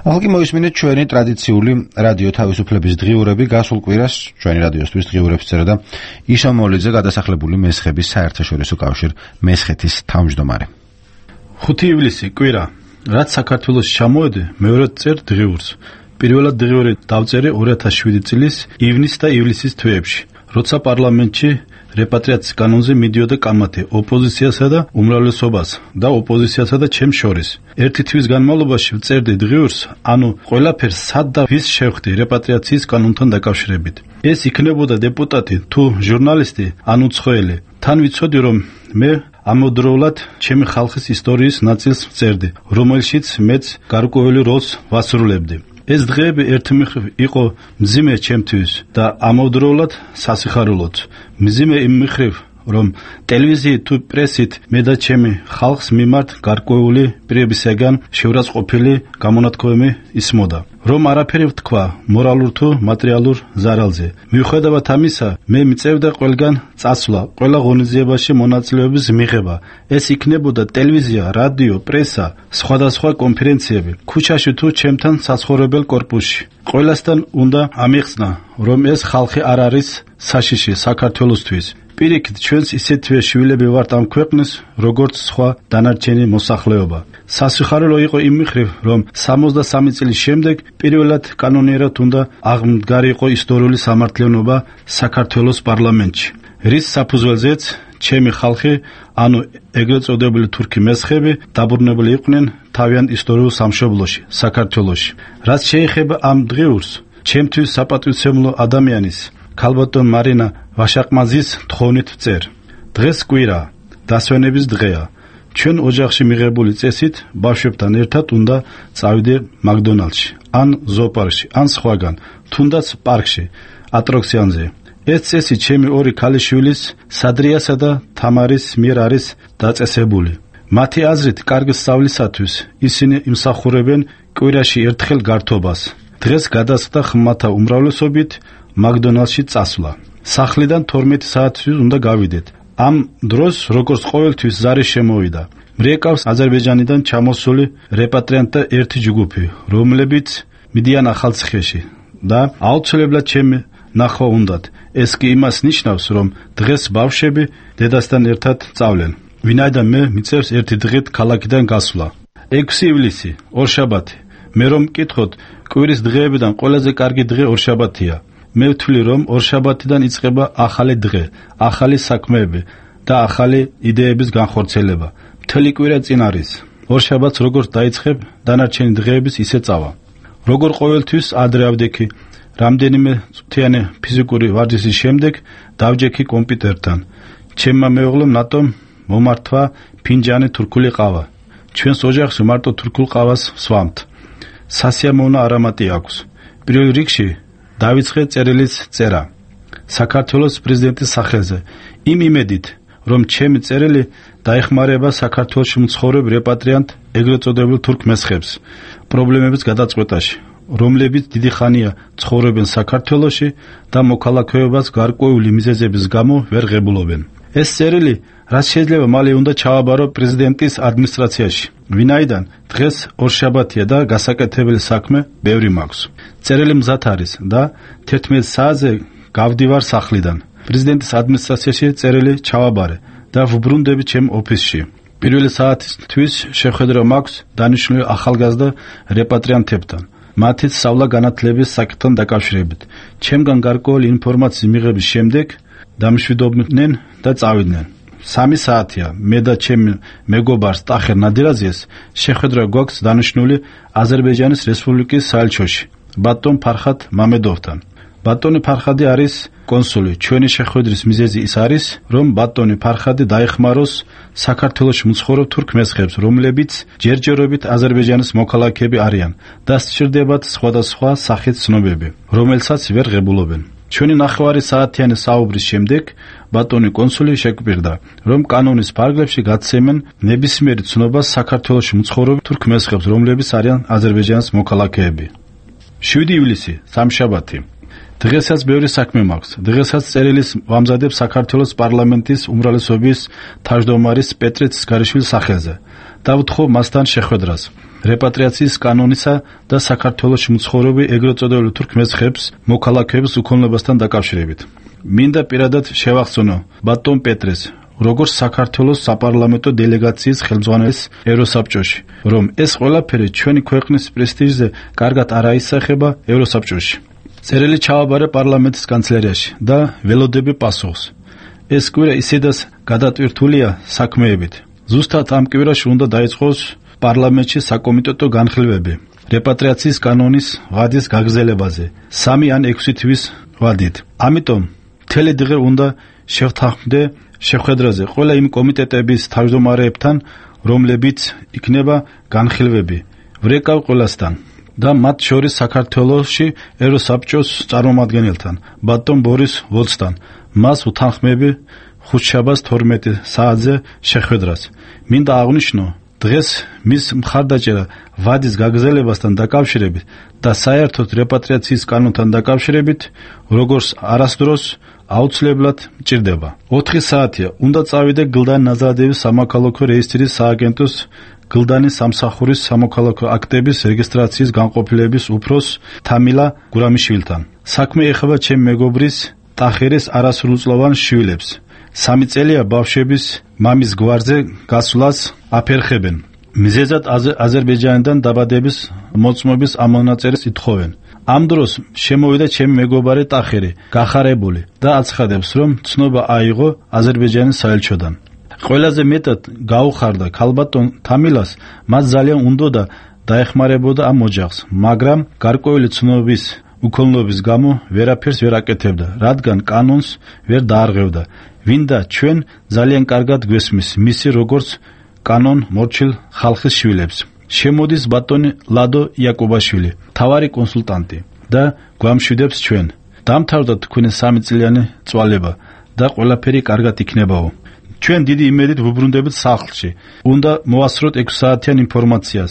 ახლა მოისმინეთ ჩვენი ტრადიციული რადიო თავისუფლების დღიურები. გასულ კვირას ჩვენი რადიოსთვის დღიურებს წერა და ისო მოლიძე, გადასახლებული მესხების საერთაშორისო კავშირ მესხეთის თავმჯდომარე. ხუთი ივლისი კვირა, რაც საქართველოს ჩამოვედი, მეორედ წერ დღიურს. პირველად დღიური დავწერე ორი ათას შვიდი წლის ივნის და ივლისის თვეებში, როცა პარლამენტში რეპატრიაციის კანონზე მიდიოდა კამათი ოპოზიციასა და უმრავლესობას და ოპოზიციასა და ჩემს შორის. ერთი თვის განმავლობაში ვწერდი დღიურს, ანუ ყველაფერს სად და ვის შევხვდი რეპატრიაციის კანონთან დაკავშირებით. ეს იქნებოდა დეპუტატი თუ ჟურნალისტი, ანუ ცხელი. თან ვიცოდი, რომ მე ამავდროულად ჩემი ხალხის ისტორიის ნაწილს ვწერდი, რომელშიც მეც გარკვეული როლს ვასრულებდი. ეს დღეები ერთი მხრივ იყო მძიმე ჩემთვის და ამავდროულად სასიხარულოც. მძიმე იმ მხრივ, რომ ტელევიზიით თუ პრესით მე და ჩემი ხალხს მიმართ გარკვეული პირებისაგან შეურაცხყოფილი გამონათქვამი ისმოდა, რომ არაფერი ვთქვა მორალურ თუ მატერიალურ ზარალზე. მიუხედავად ამისა, მე მიწევდა ყველგან წასვლა, ყველა ღონისძიებაში მონაწილეობის მიღება. ეს იქნებოდა ტელევიზია, რადიო, პრესა, სხვადასხვა კონფერენციები, ქუჩაში თუ ჩემთან საცხოვრებელ კორპუსში. ყველასთან უნდა ამიხსნა, რომ ეს ხალხი არ არის საშიში საქართველოსთვის. პირიქით, ჩვენს ისეთვე შვილები ვართ ამ ქვეყნის, როგორც სხვა დანარჩენი მოსახლეობა. სასიხარულო იყო იმ მხრივ, რომ სამოცდასამი წლის შემდეგ პირველად კანონიერად უნდა აღმდგარიყო ისტორიული სამართლიანობა საქართველოს პარლამენტში. რის საფუძველზეც ჩემი ხალხი, ანუ ეგრეთ წოდებული თურქი მესხები დაბრუნებული იყვნენ თავიანთ ისტორიულ სამშობლოში, საქართველოში. რაც შეეხება ამ დღიურს, ჩემთვის საპატივცემლო ადამიანის, ქალბატონ მარინა ვაშაყმაძის თხოვნით წერ. დღეს კვირა, დასვენების დღეა. ჩვენ ოჯახში მიღებული წესით ბავშვებთან ერთად უნდა წავიდე მაკდონალდში, ან ზოოპარკში, ან სხვაგან, თუნდაც პარკში, ატრაქციონზე. ეს წესი ჩემი ორი ქალიშვილის, სადრიასა და თამარის მიერ არის დაწესებული. მათი აზრით, კარგი სწავლისათვის ისინი იმსახურებენ კვირაში ერთხელ გართობას. დღეს გადასხდა ხმათა უმრავლესობით მაკდონალდში წასვლა. სახლიდან თორმეტი საათისთვის უნდა გავიდეთ. ამ დროს, როგორც ყოველთვის, ზარი შემოვიდა. მრიეკავს აზერბაიჯანიდან ჩამოსული რეპატრიანტთა ერთი ჯგუფი, რომლებიც მიდიან ახალციხეში და აუცილებლად ჩემი ნახვა უნდათ. ეს კი იმას ნიშნავს, რომ დღეს ბავშვები დედასთან ერთად წავლენ. ვინაიდან მე მიწევს ერთი დღით ქალაქიდან გასვლა. ექვსი ივლისი, ორშაბათი. მე რომ მკითხოთ, კვირის დღეებიდან ყველაზე კარგი დღე ორშაბათია. მე ვთვლი, რომ ორშაბათიდან იწყება ახალი დღე, ახალი საქმეები და ახალი იდეების განხორციელება. მთელი კვირა წინ არის. ორშაბათს როგორც დაიწყებ, დანარჩენი დღეების ისე წავა. როგორ ყოველთვის ადრე ავდექი, რამდენიმე წუთიანი ფიზიკური ვარჯიშის შემდეგ დავჯექი კომპიუტერთან. ჩემმა მეუღლემ ნატომ მომართვა ფინჯანი თურქული ყავა. ჩვენს ოჯახში მარტო თურქულ ყავას ვსვამთ. სასიამოვნო არამატი აქვს. პირველ რიგში დავიწყე წერილის წერა საქართველოს პრეზიდენტის სახელზე, იმ იმედით, რომ ჩემი წერილი დაეხმარება საქართველოში მცხოვრებ რეპატრიანტ ეგრეთ წოდებულ თურქ მესხებს პრობლემების გადაწყვეტაში, რომლებიც დიდი ხანია ცხოვრობენ საქართველოში და მოქალაქეობას გარკვეული მიზეზების გამო ვერ ღებულობენ. ეს წერილი რაც შეიძლება მალე უნდა ჩავაბარო პრეზიდენტის ადმინისტრაციაში, ვინაიდან დღეს ორშაბათია და გასაკეთებელი საქმე ბევრი მაქვს. წერილი მზად არის და თერთმეტ საათზე გავდივარ სახლიდან. პრეზიდენტის ადმინისტრაციაში წერილი ჩავაბარე და ვუბრუნდები ჩემ ოფისში. პირველი საათისთვის შეხვედრა მაქვს დანიშნული ახალგაზრდა რეპატრიანტებთან. მათი სწავლა-განათლების საკითხთან დაკავშირებით. ჩემგან გარკვეული ინფორმაციის მიღების შემდეგ დამშვიდობდნენ და წავიდნენ. სამი საათია. მე და ჩემი მეგობარ სტახერ ნადირაძეს შეხვედრა გვაქვს დანიშნული აზერბაიჯანის რესპუბლიკის საელჩოში, ბატონ ფარხად მამედოვთან. ბატონი ფარხადი არის კონსული. ჩვენი შეხვედრის მიზეზი ის არის, რომ ბატონი ფარხადი დაეხმაროს საქართველოში მცხოვრებ თურქ მესხებს, რომლებიც ჯერჯერობით აზერბაიჯანის მოქალაქეები არიან და სჭირდებათ სხვადასხვა სახის ცნობები, რომელსაც ვერ ღებულობენ. ჩვენი ნახევარი საათიანი საუბრის შემდეგ ბატონი კონსული შეგვირდა, რომ კანონის ფარგლებში გაცემენ ნებისმიერი ცნობას საქართველოში მცხოვრებ თურქ მესხებს, რომლებიც არიან აზერბაიჯანის მოქალაქეები. შვიდი ივლისი, სამშაბათი. დღესაც ბევრი საქმე მაქვს. დღესაც წერილის ვამზადებ საქართველოს პარლამენტის უმრავლესობის თავმჯდომარის პეტრე ცისკარიშვილის სახელზე და ვთხოვ მასთან შეხვედრას რეპატრიაციის კანონისა და საქართველოში მცხოვრები ეგრეთ წოდებული თურქ მესხებს მოქალაქეების უქონლობასთან დაკავშირებით. მინდა პირადად შევახსენო ბატონ პეტრეს, როგორც საქართველოს საპარლამენტო დელეგაციის ხელმძღვანელის ევროსაბჭოში, რომ ეს ყველაფერი ჩვენი ქვეყნის პრესტიჟზე კარგად არ აისახება ევროსაბჭოში. წერილი ჩავაბარე პარლამენტის კანცელერიაში და ველოდები პასუხს. ეს კვირა ისედაც გადატვირთულია საქმეებით. ზუსტად ამ კვირაში უნდა დაიწყოს პარლამენტში საკომიტეტო განხილვები რეპატრიაციის კანონის ვადის გაგრძელებაზე სამი ან ექვსი თვის ვადით. ამიტომ მთელი დღე უნდა შევთანხმდე შეხვედრაზე ყველა იმ კომიტეტების თავმჯდომარეებთან, რომლებიც იქნება განხილვები. ვრეკავ ყველასთან და მათ შორის საქართველოში ევროსაბჭოს წარმომადგენელთან, ბატონ ბორის ვოლცთან. მას უთანხმები ხუთშაბათს თორმეტი საათზე შეხვედრას. მინდა აღვნიშნო, დღეს მის მხარდაჭერა ვადის გაგრძელებასთან დაკავშირებით და საერთოდ რეპატრიაციის კანონთან დაკავშირებით, როგორც არასდროს აუცილებლად მჭირდება. ოთხი საათია. უნდა წავიდე გლდან ნაზარადევის სამოქალაქო რეესტრის სააგენტოს გლდანის სამსახურის სამოქალაქო აქტების რეგისტრაციის განყოფილების უფროს თამილა გურამიშვილთან. საქმე ეხება ჩემ მეგობრის ტახერის არასრულწლოვან შვილებს. სამი წელია ბავშვების მამის გვარზე გასვლას აფერხებენ. მიზეზად აზერბაიჯანიდან დაბადების მოწმობის ამონაწერს ითხოვენ. ამ დროს შემოვიდა ჩემი მეგობარი ტახერი, გახარებული და აცხადებს, რომ ცნობა აიღო აზერბაიჯანის საელჩოდან. ყველაზე მეტად გაუხარდა ქალბატონ თამილას, მას ძალიან უნდოდა დაეხმარებოდა ამ ოჯახს, მაგრამ გარკვეული ცნობის უქონლობის გამო ვერაფერს ვერ აკეთებდა, რადგან კანონს ვერ დაარღვევდა. ვინდა ჩვენ ძალიან კარგად გვესმის მისი როგორც კანონ მორჩილ ხალხის შვილებს. შემოდის ბატონი ლადო იაკობაშვილი, მთავარი კონსულტანტი და გვამშვიდებს ჩვენ. დამთავრდა თქვენი სამი წლიანი წვალება და ყველაფერი კარგად იქნებაო. ჩვენ დიდი იმედით ვუბრუნდებით სახლში. უნდა მოვასწროთ ექვსი საათიან ინფორმაციას.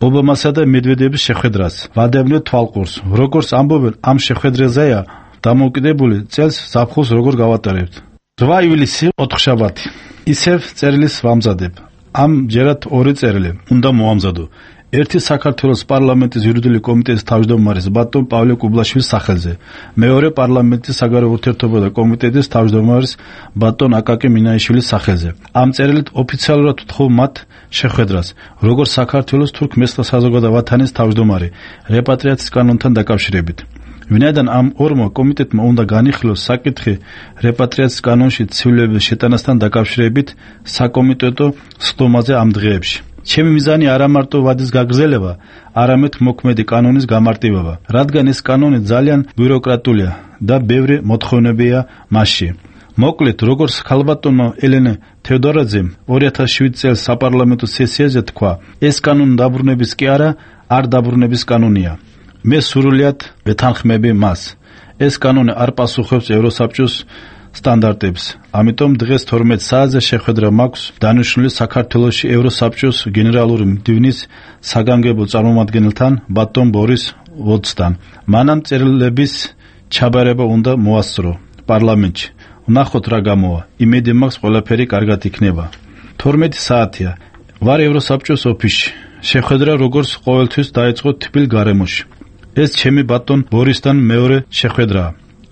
ობამასა და მედვედევის შეხვედრას. ვადევნებთ თვალყურს. როგორც ამბობენ, ამ შეხვედრაზეა დამოუკიდებელი წელს ზაფხულს როგორ გავატარებთ. რვა ივლისი ოთხშაბათი. ისევ წერილის ვამზადებ. ამ ჯერად ორი წერილი უნდა მოამზადო. ერთი საქართველოს პარლამენტის იურიდიული კომიტეტის თავმჯდომარის ბატონ პავლე კუბლაშვილის სახელზე. მეორე პარლამენტის საგარეო ურთიერთობათა კომიტეტის თავმჯდომარის ბატონ აკაკი მინაიშვილის სახელზე. ამ წერილით ოფიციალურად ვთხოვ მათ შეხვედრას, როგორც საქართველოს თურქმენსა საზოგადო ვათანის თავმჯდომარე, რეპატრიაციის კანონთან დაკავშირებით. ვინაიდან ამ ორმა კომიტეტმა უნდა განიხილოს საკითხი რეპატრიაციის კანონში ცვლილების შეტანასთან დაკავშირებით საკომიტეტო სხდომაზე ამ დღეებში. ჩემი მიზანი არა მარტო ვადის გაგრძელება, არამედ მოქმედი კანონის გამარტივება, რადგან ეს კანონი ძალიან ბიუროკრატულია და ბევრი მოთხოვნებია მასში. მოკლედ, როგორც ქალბატონმა ელენე თევდორაძემ ორი ათას შვიდი წელს საპარლამენტო სესიაზე თქვა, ეს კანონი დაბრუნების კი არა, არ დაბრუნების კანონია. მე სრულიად ვეთანხმები მას. ეს კანონი არ პასუხობს ევროსაბჭოს სტანდარტებს. ამიტომ დღეს თორმეტ საათზე შეხვედრა მაქვს დანიშნული საქართველოში ევროსაბჭოს გენერალური მდივნის საგანგებო წარმომადგენელთან ბატონ ბორის ვოდსთან. მანამ წერილების ჩაბარება უნდა მოასწრო პარლამენტში. ვნახოთ რა გამოვა. იმედი მაქვს ყველაფერი კარგად იქნება. თორმეტი საათია. ვარ ევროსაბჭოს ოფისში. შეხვედრა როგორც ყოველთვის დაიწყო თბილ გარემოში. ეს ჩემი ბატონ ბორისთან მეორე შეხვედრაა.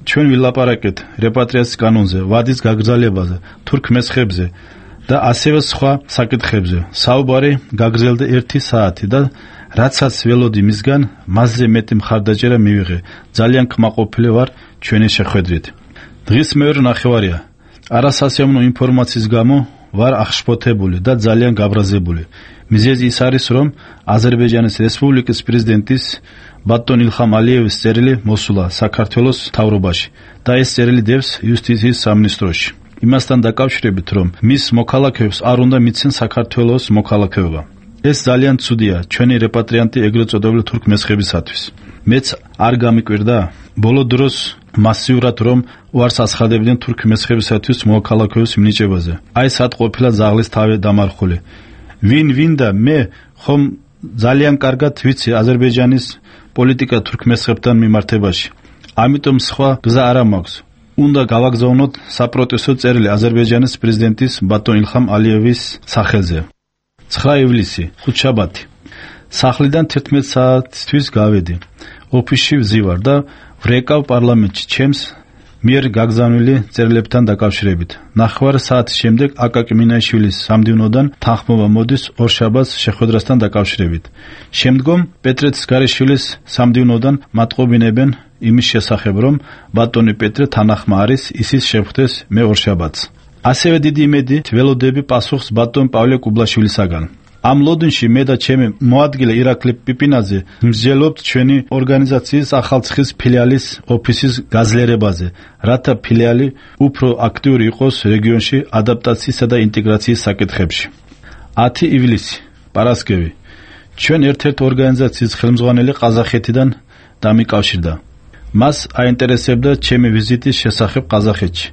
ჩვენ ვილაპარაკეთ რეპატრიაციის კანონზე, ვადის გაგრძელებაზე, თურქმესხებზე და ასევე სხვა საკითხებზე. საუბარი გაგრძელდა ერთი საათი და რაცაც ველოდი მისგან, მასზე მეტი მხარდაჭერა მივიღე. ძალიან კმაყოფილი ვარ ჩვენი შეხვედრით. დღის მეორე ნახევარია. არასასიამოვნო ინფორმაციის გამო ვარ აღშფოთებული და ძალიან გაბრაზებული. მიზეზი ის არის, რომ აზერბაიჯანის რესპუბლიკის პრეზიდენტის ბატონ ილხამ ალიევის წერილი მოსულა საქართველოს მთავრობაში და ეს წერილი დევს იუსტიციის სამინისტროში. იმასთან დაკავშირებით, რომ მის მოქალაქეებს არ უნდა მიცენ საქართველოს მოქალაქეობა. ეს ძალიან ცუდია ჩვენი რეპატრიანტი ეგრეთ წოდებული თურქმესხებისათვის. მეც არ გამიკვირდა ბოლო დროს მასიურად რომ უარს აცხადებდნენ თურქმესხებისათვის მოქალაქეობის მინიჭებაზე. აი სად ყოფილა ზაღლის თავი დამარხული. ვინ ვინ და მე ხომ ძალიან კარგად ვიცი აზერბაიჯანის პოლიტიკა თურქმესხებთან მიმართებაში. ამიტომ სხვა გზა არ მაქვს. უნდა გავაგზავნოთ საპროტესტო წერილი აზერბაიჯანის პრეზიდენტის ბატონ ილხამ ალიევის სახელზე. ცხრა ივლისი, ხუთშაბათი. სახლიდან თერთმეტ საათისთვის გავედი. ოფისში ვზივარ და ვრეკავ პარლამენტში ჩემს მიერ გაგზავნილი წერილებთან დაკავშირებით. ნახევარ საათის შემდეგ აკაკი მინაიშვილის სამდივნოდან თანხმობა მოდის ორშაბათს შეხვედრასთან დაკავშირებით. შემდგომ პეტრეთის გარეშვილის სამდივნოდან მატყობინებენ იმის შესახებ, რომ ბატონი პეტრე თანახმა არის, ისის შეხვდეს მე ორშაბათს. ასევე დიდი იმედით ველოდები პასუხს ბატონ პავლე კუბლაშვილისაგან. ამ ლოდნში მე და ჩემი მოადგილე ირაკლი პიპინაძე მსჯელობთ ჩვენი ორგანიზაციის ახალციხის ფილიალის ოფისის გაძლიერებაზე, რათა ფილიალი უფრო აქტიური იყოს რეგიონში ადაპტაციისა და ინტეგრაციის საკითხებში. ათი ივლისი, პარასკევი. ჩვენ ერთ-ერთ ორგანიზაციის ხელმძღვანელი ყაზახეთიდან დამიკავშირდა. მას აინტერესებდა ჩემი ვიზიტის შესახებ ყაზახეთში.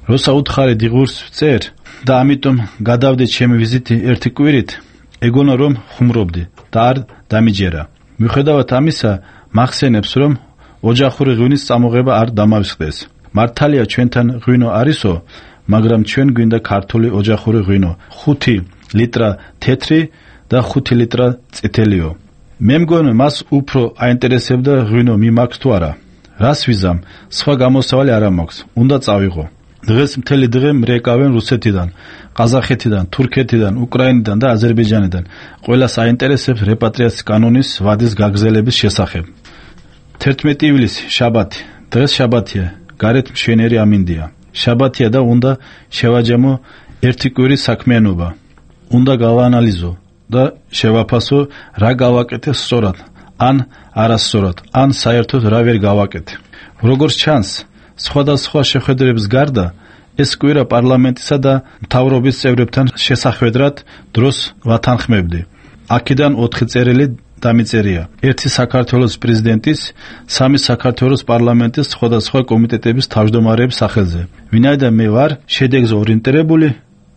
როცა უთხარი დიღურს წერ და ამიტომ გადავდე ჩემი ვიზიტი ერთი კვირით, ეგონა რომ ხუმრობდი და არ დამიჯერა. მიუხედავად ამისა, მახსენებს რომ ოჯახური ღვინის წამოღება არ დამავსყდეს. მართალია ჩვენთან ღვინო არისო, მაგრამ ჩვენ გვინდა ქართული ოჯახური ღვინო. ხუთი ლიტრა თეთრი და ხუთი ლიტრა წითელიო. მე მგონი მას უფრო აინტერესებდა ღვინო მიმაქვს თუ არა. რას ვიზამ? სხვა გამოსავალი არ მაქვს. უნდა წავიღო. დღეს მთელი დღე მრეკავენ რუსეთიდან, ყაზახეთიდან, თურქეთიდან, უკრაინიდან და აზერბაიჯანიდან. ყველას აინტერესებს რეპატრიაციის კანონის ვადის გაგრძელების შესახებ. თერთმეტი ივლისი, შაბათი. დღეს შაბათია, გარეთ მშვენიერი ამინდია. შაბათია და უნდა შევაჯამო ერთი კვირის საქმიანობა. უნდა გავაანალიზო და შევაფასო რა გავაკეთე სწორად, ან არასწორად, ან საერთოდ რა ვერ გავაკეთე. როგორც ჩანს, სხვადასხვა შეხვედრების გარდა ეს კვირა პარლამენტისა და მთავრობის წევრებთან შესახვედრად დროს ვათანხმებდი. აქედან ოთხი წერილი დამიწერია. ერთი საქართველოს პრეზიდენტის, სამი საქართველოს პარლამენტის სხვადასხვა კომიტეტების თავმჯდომარეების სახელზე. ვინაიდან მე ვარ შედეგზე ორიენტირებული,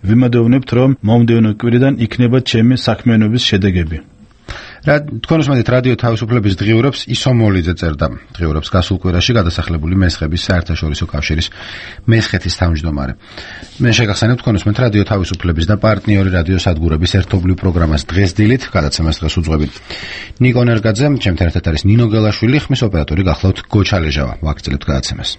ვიმედოვნებთ, რომ მომდევნო კვირიდან იქნება ჩემი საქმიანობის შედეგები. რა თქვენ უსმენთ რადიო თავისუფლების დღიურებს ისომოლიძე წერდა დღიურებს გასულ კვირაში გადასახლებული მესხების საერთაშორისო კავშირის მესხეთის თავმჯდომარე. მე შეგახსენებ თქვენ უსმენთ რადიო თავისუფლების და პარტნიორი რადიო სადგურების ერთობლივ პროგრამას დღეს დილით გადაცემას დღეს უძღვებით. ნიკო ნერგაძე, ჩემთან ერთად არის ნინო გელაშვილი, ხმის ოპერატორი გახლავთ გოჩალეჟავა. ვაგრძელებთ გადაცემას.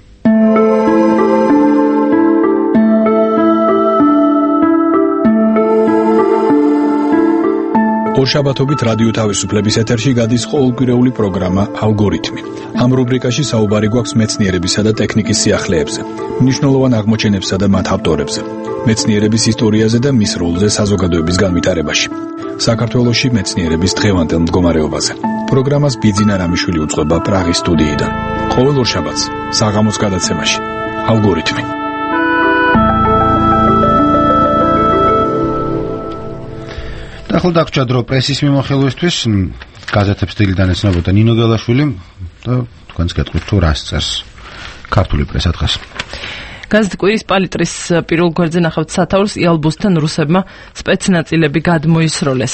ორშაბათობით რადიო თავისუფლების ეთერში გადის ყოველკვირეული პროგრამა ალგორითმი. ამ რუბრიკაში საუბარი გვაქვს მეცნიერებისა და ტექნიკის სიახლეებზე, მნიშვნელოვან აღმოჩენებსა და მათ ავტორებზე, მეცნიერების ისტორიაზე და მის როლზე საზოგადოების განვითარებაში. საქართველოში მეცნიერების დღევანდელ მდგომარეობაზე. პროგრამას ბიძინა რამიშვილი უძღვება პრაღის სტუდიიდან. ყოველ ორშაბათს საღამოს გადაცემაში ალგორითმი. ახლა დაგჭირდა დრო პრესის მიმოხილვისთვის, გაზეთებს დილიდან ეცნობოდა ნინო გელაშვილი და თქვენს გეტყვით თუ რას წერს ქართული პრესა დღეს. გაზეთ კვირის პალიტრის პირველ გვერდზე ნახავთ სათაურს იალბუსთან რუსებმა სპეცნაწილები გადმოისროლეს.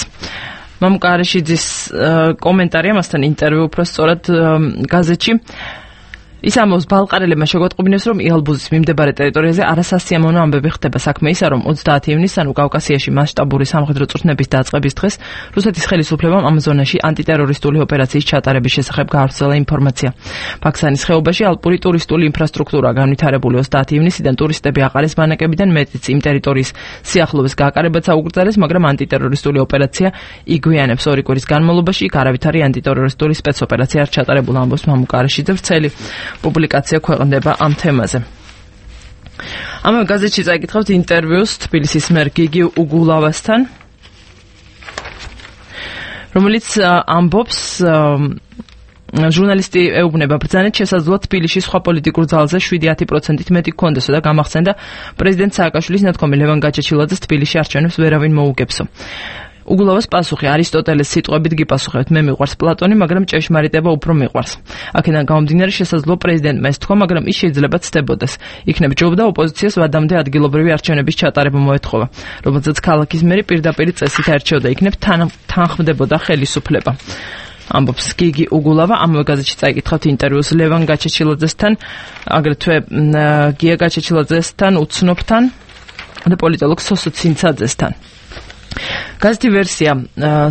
მამუკა არაშიძის კომენტარი ამასთან ინტერვიუ უფრო სწორად გაზეთში. ის ამბობს, ბალყარელებმა შეგვატყობინებს, რომ იალბუზის მიმდებარე ტერიტორიაზე არასასიამოვნო ამბები ხდება. საქმე ისაა, რომ ოცდაათი ივნისს ანუ კავკასიაში მასშტაბური სამხედრო წვრთნების დაწყების დღეს რუსეთის ხელისუფლებამ ამ ზონაში ანტიტერორისტული ოპერაციის ჩატარების შესახებ გაავრცელა ინფორმაცია. ფაქსანის ხეობაში ალპური ტურისტული ინფრასტრუქტურა განვითარებული ოცდაათი ივნისიდან ტურისტები აყარეს ბანაკებიდან, მეტიც იმ ტერიტორიის სიახლოვეს გააკარებაც აუგრძელეს, მაგრამ ანტიტერორისტული ოპერაცია იგვიანებს. ორი კვირის განმავლობაში იქ არავითარი ანტიტერორისტული სპეცოპერაცია არ ჩატარებულა, ამბობს მამუკა არაშიძე. ვრცელი პუბლიკაცია ქვეყნდება ამ თემაზე. ამავე გაზეთში წაიკითხავთ ინტერვიუს თბილისის მერ გიგი უგულავასთან, რომელიც ამბობს, ჟურნალისტი ეუბნება ბრძანეთ შესაძლოა თბილისში სხვა პოლიტიკურ ძალზე შვიდი პროცენტით მეტი გქონდესო და გამახსენდა პრეზიდენტ სააკაშვილის ნათქვამი ლევან გაჩეჩილაძეს თბილისში არჩევნებს ვერავინ მოუგებსო. უგულავას პასუხი არისტოტელეს სიტყვებით გიპასუხებთ, მე მიყვარს პლატონი, მაგრამ ჭეშმარიტება უფრო მიყვარს. აქედან გამომდინარე შესაძლოა პრეზიდენტმა ეს თქვა, მაგრამ ის შეიძლება ცდებოდეს. იქნებ ჯობდა ოპოზიციას ვადამდე ადგილობრივი არჩევნების ჩატარება მოეთხოვა, რომელზეც ქალაქის მერი პირდაპირ წესით არჩევდა, იქნებ თანხმდებოდა ხელისუფლება. ამბობს გიგი უგულავა. ამავე გაზეთში წაიკითხავთ ინტერვიუს ლევან გაჩეჩილაძესთან, აგრეთვე გია გაჩეჩილაძესთან, უცნობთან და პოლიტოლოგ სოსო ცინცაძესთან. გაზეთი ვერსია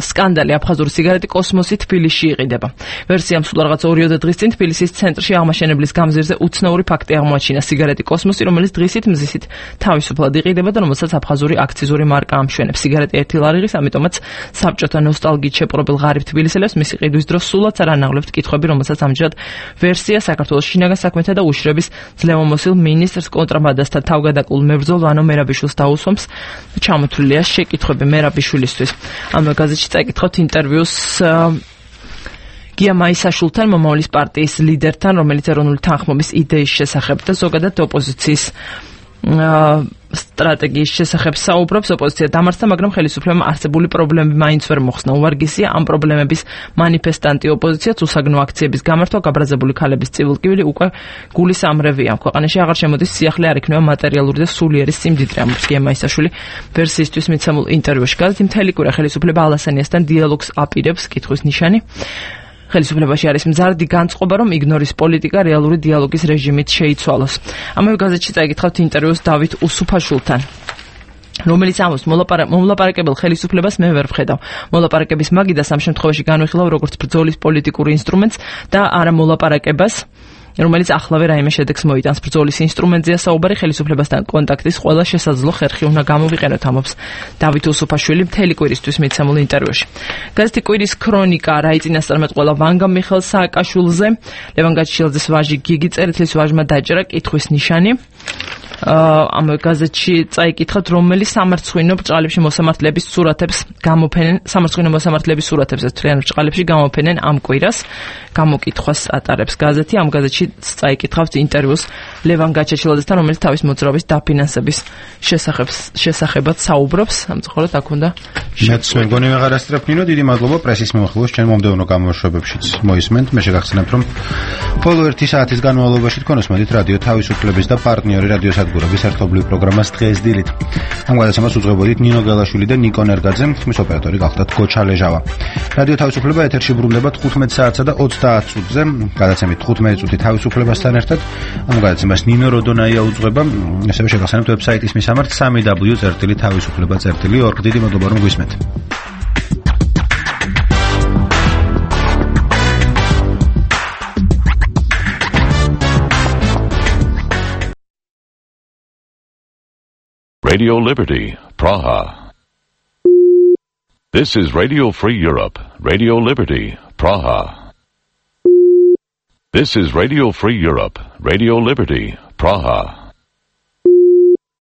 სკანდალი აფხაზური სიგარეტი კოსმოსი თბილისში იყიდება. ვერსიამ სულ რაღაც ორიოდე დღის წინ თბილისის ცენტრში აღმაშენებლის გამზირზე უცნაური ფაქტი აღმოაჩინა. სიგარეტი კოსმოსი, რომელიც დღისით მზისით თავისუფლად იყიდება და რომელსაც აფხაზური აქციზური მარკა ამშვენებს. სიგარეტი ერთი ლარიღის, ამიტომაც საბჭოთა ნოსტალგიით შეპყრობილ ღარიბ თბილისელებს მისი ყიდვის დროს სულაც არ ანაღლებთ კითხვები, რომელსაც ამჯერად ვერსია საქართველოს შინაგან საქმეთა და უშრების ძლევამოსილ მინისტრს კონტრაბანდასთან თავგადაკულ მებრძოლ ვანო მერაბიშვილს დაუსვამს. ჩამოთვლილია შეკითხვები მერაბიშვილისთვის. ამ გაზეთში წაიკითხავთ ინტერვიუს გია მაისაშვილთან, მომავლის პარტიის ლიდერთან, რომელიც ეროვნული თანხმობის იდეის შესახებ და ზოგადად ოპოზიციის სტრატეგიის შესახებ საუბრობს. ოპოზიცია დამარცხდა, მაგრამ ხელისუფლებამ არსებული პრობლემები მაინც ვერ მოხსნა. უვარგისია ამ პრობლემების მანიფესტანტი ოპოზიციაც, უსაგნო აქციების გამართვა, გაბრაზებული ქალების წივილკივილი უკვე გულის ამრევია. ქვეყანაში აღარ შემოდის სიახლე, არ იქნება მატერიალური და სულიერი სიმდიდრე, ამბობს გია მაისაშვილი ვერსიისთვის მიცემულ ინტერვიუში. გაზეთი მთელი კვირა ხელისუფლება ალასანიასთან დიალოგს აპირებს, კითხვის ნიშანი. ხელისუფლებაში არის მზარდი განწყობა, რომ იგნორის პოლიტიკა რეალური დიალოგის რეჟიმით შეიცვალოს. ამავე გაზეთში წაიკითხავთ ინტერვიუს დავით უსუფაშვილთან, რომელიც ამბობს, მომლაპარაკებელ ხელისუფლებას მე ვერ ვხედავ. მოლაპარაკების მაგიდას ამ შემთხვევაში განვიხილავ როგორც ბრძოლის პოლიტიკურ ინსტრუმენტს და არა მოლაპარაკებას, რომელიც ახლავე რაიმე შედეგს მოიტანს. ბრძოლის ინსტრუმენტზეა საუბარი, ხელისუფლებასთან კონტაქტის ყველა შესაძლო ხერხი უნდა გამოვიყენოთ, ამბობს დავით უსუფაშვილი მთელი კვირისთვის მიცემულ ინტერვიუში. გაზეთი კვირის ქრონიკა რა იწინასწარმეტყველა ვანგა მიხელ სააკაშვილზე, ლევან გაჩილაძის ვაჟი გიგი წერეთლის ვაჟმა დაჭერა კითხვის ნიშანი. ამ გაზეთში წაიკითხავთ, რომელი სამარცხვინო ბრჭყალებში მოსამართლეების სურათებს გამოფენენ, სამარცხვინო მოსამართლეების სურათებს თრიან ბრჭყალებში გამოფენენ ამ კვირას. გამოკითხვას ატარებს გაზეთი. ამ გაზეთში წაიკითხავთ ინტერვიუს ლევან გაჩეჩილაძესთან, რომელიც თავის მოძრაობის დაფინანსების შესახებ შესახებად საუბრობს. ამწუხაროდ აქ უნდა მეც მეგონი ვეღარასწრებ ნინო, დიდი მადლობა პრესის მიმოხილვას ჩვენ მომდევნო გამოშვებებშიც მოისმენთ. მე შეგახსენებთ, რომ ბოლო ერთი საათის განმავლობაში თქვენ უსმენთ რადიო თავისუფლების და პარტნიორი რადიო სადგურების ერთობლივ პროგრამას დღეს დილით. ამ გადაცემას უძღვებოდით ნინო გელაშვილი და ნიკო ნერგაძე, ხმის ოპერატორი გახლდათ გოჩა ლეჟავა. რადიო თავისუფლება ეთერში ბრუნდება თხუთმეტ საათსა და ოცდაათ წუთზე. გადაცემით თხუთმეტი წუთი თავისუფლებასთან ერთად. ამ გადაცემას ნინო როდონაია უძღვება. ასევე შეგახსენებთ ვებსაიტის მისამართს სამი დაბლიუ წერტილი თავისუფლება წერტილი ორგ. დიდი მადლობა რომ გვისმენთ. Radio Liberty, Praha. This is Radio Free Europe, Radio Liberty, Praha. This is Radio Free Europe, Radio Liberty, Praha.